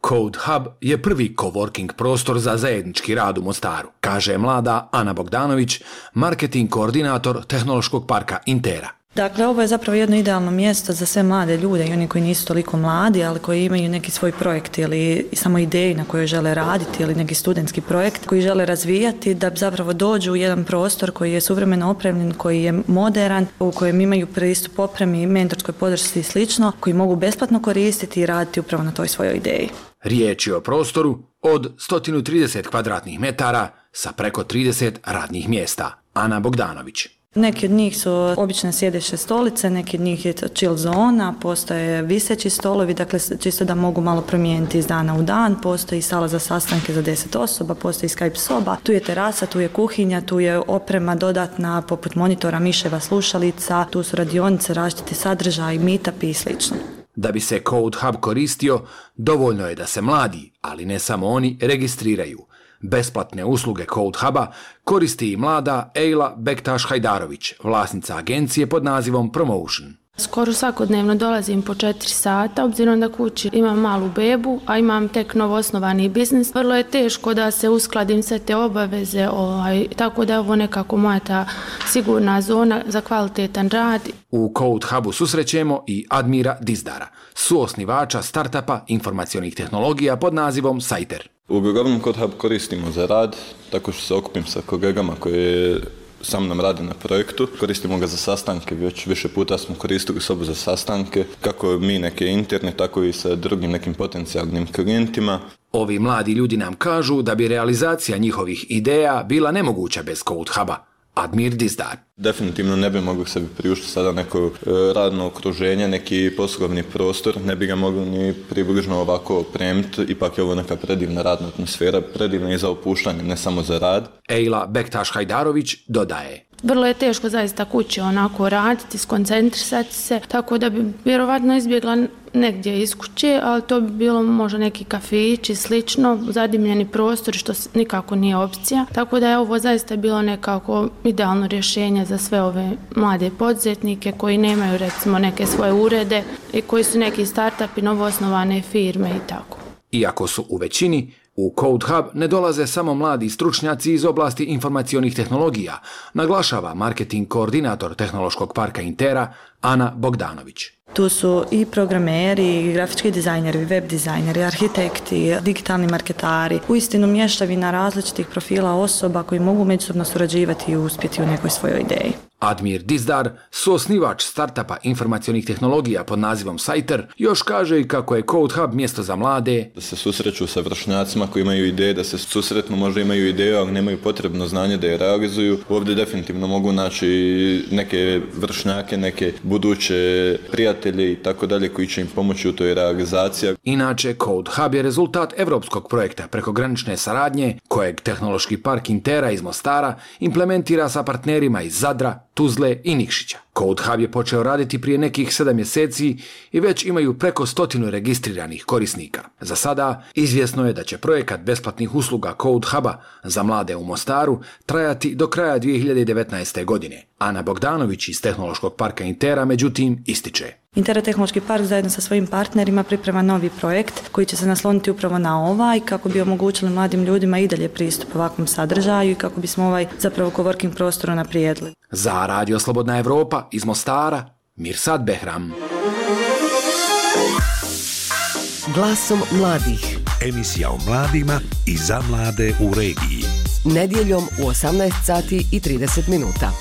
Code Hub je prvi coworking prostor za zajednički rad u Mostaru, kaže mlada Ana Bogdanović, marketing koordinator Tehnološkog parka Intera. Dakle, ovo je zapravo jedno idealno mjesto za sve mlade ljude i oni koji nisu toliko mladi, ali koji imaju neki svoj projekt ili samo ideju na kojoj žele raditi ili neki studentski projekt koji žele razvijati, da zapravo dođu u jedan prostor koji je suvremeno opremljen, koji je moderan, u kojem imaju pristup opremi, mentorskoj podršci i slično, koji mogu besplatno koristiti i raditi upravo na toj svojoj ideji. Riječ je o prostoru od sto trideset kvadratnih metara sa preko trideset radnih mjesta. Ana Bogdanović. Neki od njih su obične sjedeće stolice, neki od njih je chill zona, postoje viseći stolovi, dakle čisto da mogu malo promijeniti iz dana u dan, postoji sala za sastanke za deset osoba, postoji Skype soba, tu je terasa, tu je kuhinja, tu je oprema dodatna poput monitora, miševa, slušalica, tu su radionice, različiti sadržaj, meetupi i slično. Da bi se Code Hub koristio, dovoljno je da se mladi, ali ne samo oni, registriraju. Besplatne usluge Code Huba koristi i mlada Ejla Bektaš-Hajdarović, vlasnica agencije pod nazivom Promotion. Skoro svakodnevno dolazim po četiri sata, obzirom da kući imam malu bebu, a imam tek novoosnovani biznis. Vrlo je teško da se uskladim sve te obaveze, ovaj, tako da je ovo nekako moja ta sigurna zona za kvalitetan rad. U Code Hubu susrećemo i Admira Dizdara, suosnivača startupa informacionih tehnologija pod nazivom Sajter. Uglavnom Code Hub koristimo za rad, tako što se okupim sa kolegama koji sa mnom rade na projektu. Koristimo ga za sastanke, već više puta smo koristili sobu za sastanke, kako mi neke interne, tako i sa drugim nekim potencijalnim klijentima. Ovi mladi ljudi nam kažu da bi realizacija njihovih ideja bila nemoguća bez Code Huba. Admir Dizdar. Definitivno ne bi mogli sebi priuštiti sada neko radno okruženje, neki poslovni prostor, ne bi ga mogli ni približno ovako opremiti, ipak je ovo neka predivna radna atmosfera, predivna i za opuštanje, ne samo za rad. Ejla Bektaš-Hajdarović dodaje. Vrlo je teško zaista kući onako raditi, skoncentrisati se, tako da bi vjerovatno izbjegla negdje iz kuće, ali to bi bilo možda neki kafić i slično, zadimljeni prostor, što nikako nije opcija. Tako da je ovo zaista bilo nekako idealno rješenje za sve ove mlade poduzetnike koji nemaju recimo neke svoje urede i koji su neki startupi, novoosnovane firme i tako. Iako su u većini, u Code Hub ne dolaze samo mladi stručnjaci iz oblasti informacionih tehnologija, naglašava marketing koordinator Tehnološkog parka Intera Ana Bogdanović. Tu su i programeri, i grafički dizajneri, web dizajneri, arhitekti, digitalni marketari, uistinu mješavina različitih profila osoba koji mogu međusobno surađivati i uspjeti u nekoj svojoj ideji. Admir Dizdar, suosnivač startupa informacionih tehnologija pod nazivom Sajter, još kaže i kako je Code Hub mjesto za mlade. Da se susreću sa vršnjacima koji imaju ideje, da se susretnu, možda imaju ideju, ali nemaju potrebno znanje da je realizuju. Ovdje definitivno mogu naći neke vršnjake, neke buduće prijatelje i tako dalje koji će im pomoći u toj realizaciji. Inače, Code Hub je rezultat evropskog projekta prekogranične saradnje kojeg Tehnološki park Intera iz Mostara implementira sa partnerima iz Zadra, Tuzle i Nikšića. Code Hub je počeo raditi prije nekih sedam mjeseci i već imaju preko stotinu registriranih korisnika. Za sada izvjesno je da će projekat besplatnih usluga Code Huba za mlade u Mostaru trajati do kraja dvije hiljade devetnaeste. godine. Ana Bogdanović iz Tehnološkog parka Intera međutim ističe. Intera Tehnološki park zajedno sa svojim partnerima priprema novi projekt koji će se nasloniti upravo na ovaj kako bi omogućili mladim ljudima i dalje pristup ovakvom sadržaju i kako bismo ovaj zapravo coworking prostor unaprijedili. Za Radio Slobodna Evropa iz Mostara, Mirsad Behram. Glasom mladih. Emisija o mladima i za mlade u regiji. Nedjeljom u osamnaest sati i trideset minuta.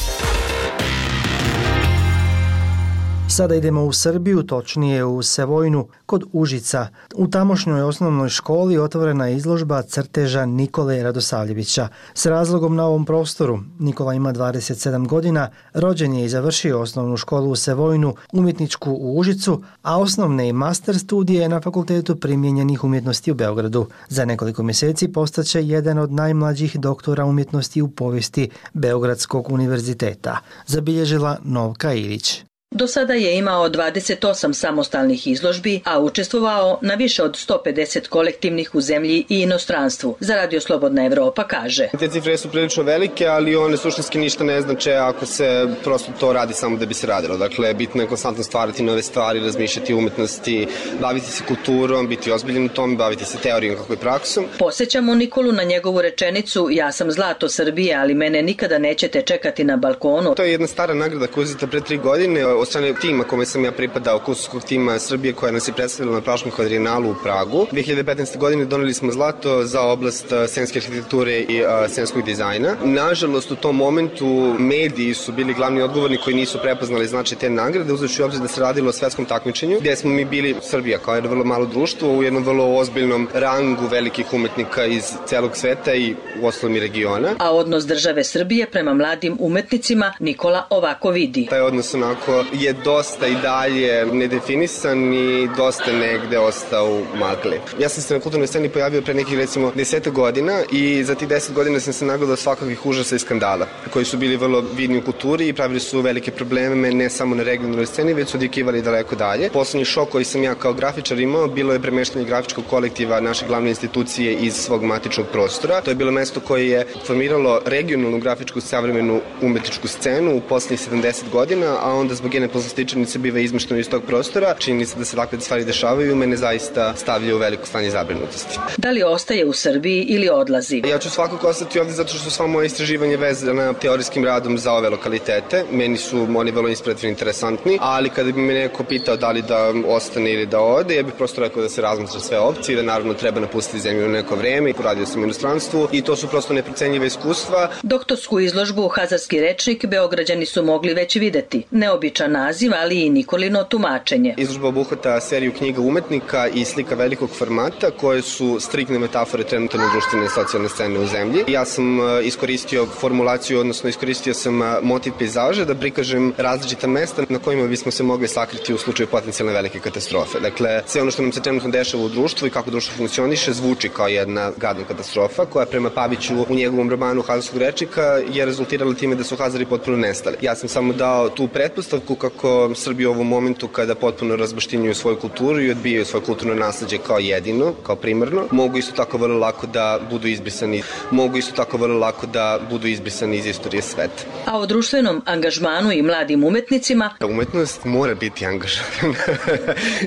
Sada idemo u Srbiju, točnije u Sevojnu, kod Užica. U tamošnjoj osnovnoj školi otvorena je izložba crteža Nikole Radosavljevića. S razlogom na ovom prostoru, Nikola ima dvadeset sedam godina, rođen je i završio osnovnu školu u Sevojnu, umjetničku u Užicu, a osnovne i master studije na Fakultetu primijenjenih umjetnosti u Beogradu. Za nekoliko mjeseci postaće jedan od najmlađih doktora umjetnosti u povijesti Beogradskog univerziteta, zabilježila Novka Ilić. Do sada je imao dvadeset osam samostalnih izložbi, a učestvovao na više od sto pedeset kolektivnih u zemlji i inostranstvu. Za Radio Slobodna Evropa kaže. Te cifre su prilično velike, ali one suštinski ništa ne znače ako se prosto to radi samo da bi se radilo. Dakle, bitno je konstantno stvarati nove stvari, razmišljati o umetnosti, baviti se kulturom, biti ozbiljen u tom, baviti se teorijom kako i praksom. Posjećamo Nikolu na njegovu rečenicu ja sam zlato Srbije, ali mene nikada nećete čekati na balkonu. To je jedna stara nagrada koja je uzeta pre tri godine od strane tima kome sam ja pripadao, kusurskog tima Srbije koja nas je predstavila na Praškom kvadrienalu u Pragu. dvije hiljade petnaeste. godine doneli smo zlato za oblast scenske arhitekture i uh, scenskog dizajna. Nažalost, u tom momentu mediji su bili glavni odgovorni koji nisu prepoznali značaj te nagrade, uzevši u obzir da se radilo o svetskom takmičenju, gdje smo mi bili Srbija kao jedno vrlo malo društvo u jednom vrlo ozbiljnom rangu velikih umetnika iz celog sveta i u ostalom i regiona. A odnos države Srbije prema mladim umetnicima Nikola ovako vidi. Taj odnos onako je dosta i dalje nedefinisan i dosta negde ostao u magli. Ja sam se na kulturnoj sceni pojavio pre nekih recimo deset godina i za tih deset godina sam se nagledao svakakvih užasa i skandala koji su bili vrlo vidni u kulturi i pravili su velike probleme ne samo na regionalnoj sceni, već su odjekivali daleko dalje. Poslednji šok koji sam ja kao grafičar imao bilo je premeštanje grafičkog kolektiva naše glavne institucije iz svog matičnog prostora. To je bilo mesto koje je formiralo regionalnu grafičku savremenu umetničku scenu u poslednjih sedamdeset godina, a onda zbog jedne poslastičanice biva izmešteno iz tog prostora. Čini se da se takve stvari dešavaju, mene zaista stavlja u veliko stanje zabrinutosti. Da li ostaje u Srbiji ili odlazi? Ja ću svakako ostati ovdje zato što sva moja istraživanje vezana teorijskim radom za ove lokalitete. Meni su oni vrlo inspirativni, interesantni, ali kada bi me neko pitao da li da ostane ili da ode, ja bih prosto rekao da se razmatra sve opcije, da naravno treba napustiti zemlju u neko vreme i poradio sam u inostranstvu i to su prosto neprocenjive iskustva. Doktorsku izložbu Hazarski rečnik Beograđani su mogli već videti. Neobičan naziv, ali i Nikolino tumačenje. Izložba obuhvata seriju knjiga umetnika i slika velikog formata koje su striktne metafore trenutne društvene i socijalne scene u zemlji. Ja sam iskoristio formulaciju, odnosno iskoristio sam motiv pejzaža da prikažem različita mesta na kojima bismo se mogli sakriti u slučaju potencijalne velike katastrofe. Dakle, sve ono što nam se trenutno dešava u društvu i kako društvo funkcioniše zvuči kao jedna gadna katastrofa koja prema Paviću u njegovom romanu Hazarskog rečnika je rezultirala time da su Hazari potpuno nestali. Ja sam samo dao tu pretpostavku kako Srbija u ovom momentu kada potpuno razbaštinjuju svoju kulturu i odbijaju svoje kulturno nasleđe kao jedino, kao primarno, mogu isto tako vrlo lako da budu izbrisani, mogu isto tako vrlo lako da budu izbrisani iz istorije sveta. A o društvenom angažmanu i mladim umetnicima? Umetnost mora biti angažovana.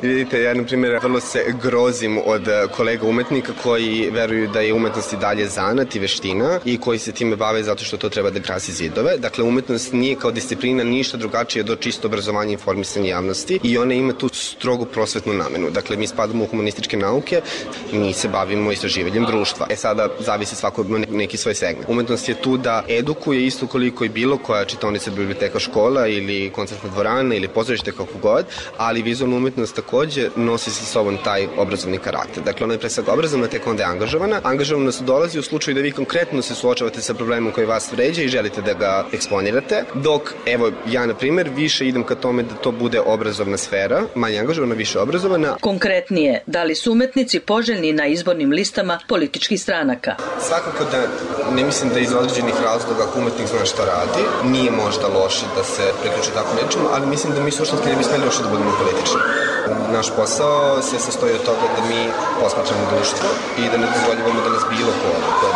Vidite, ja na primjer vrlo se grozim od kolega umetnika koji veruju da je umetnost i dalje zanat i veština i koji se time bave zato što to treba da krasi zidove. Dakle, umetnost nije kao disciplina ništa drugačije od čistog čisto obrazovanje i informisanje javnosti i ona ima tu strogu prosvetnu namenu. Dakle, mi spadamo u humanističke nauke, mi se bavimo istraživanjem društva. E sada zavisi svako neki svoj segment. Umetnost je tu da edukuje isto koliko i bilo koja čitaonica, biblioteka, škola ili koncertna dvorana ili pozorište, kako god, ali vizualna umetnost takođe nosi sa sobom taj obrazovni karakter. Dakle, ona je pre svega obrazovna, tek onda je angažovana. Angažovanost dolazi u slučaju da vi konkretno se suočavate sa problemom koji vas vređa i želite da ga eksponirate, dok, evo, ja, na primer, više idem ka tome da to bude obrazovna sfera, manje angažovana, više obrazovana. Konkretnije, da li su umetnici poželjni na izbornim listama političkih stranaka? Svakako da ne mislim da iz određenih razloga ako umetnik zna šta radi, nije možda loše da se priključi tako nečemu, ali mislim da mi suštinski ne bi smeli loše da budemo politični. Naš posao se sastoji od toga da mi posmatramo društvo i da ne dozvoljavamo da nas bilo ko,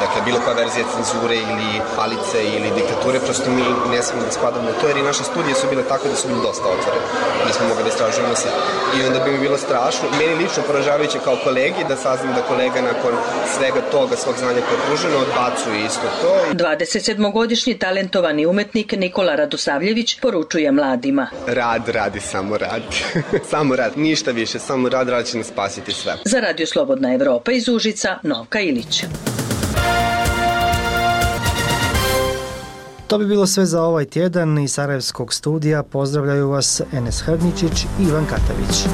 dakle bilo koja verzija cenzure ili palice ili diktature, prosto mi ne smemo da spadamo u to, jer i naše studije su bile tako da su bile dosta otvorene. Mi smo mogli da istražujemo sve. I onda bi mi bilo strašno, meni lično poražavajuće kao kolegi, da saznam da kolega nakon svega toga, svog znanja koje je pruženo, odbacuje isto to. dvadesetsedmogodišnji talentovani umetnik Nikola Radosavljević poručuje mladima. Rad, radi, samo rad. Samo rad, ništa više, samo rad, rad će nas spasiti sve. Za Radio Slobodna Evropa iz Užica, Novka Ilić. To bi bilo sve za ovaj tjedan. Iz Sarajevskog studija pozdravljaju vas Enes Hrdničić i Ivan Katavić.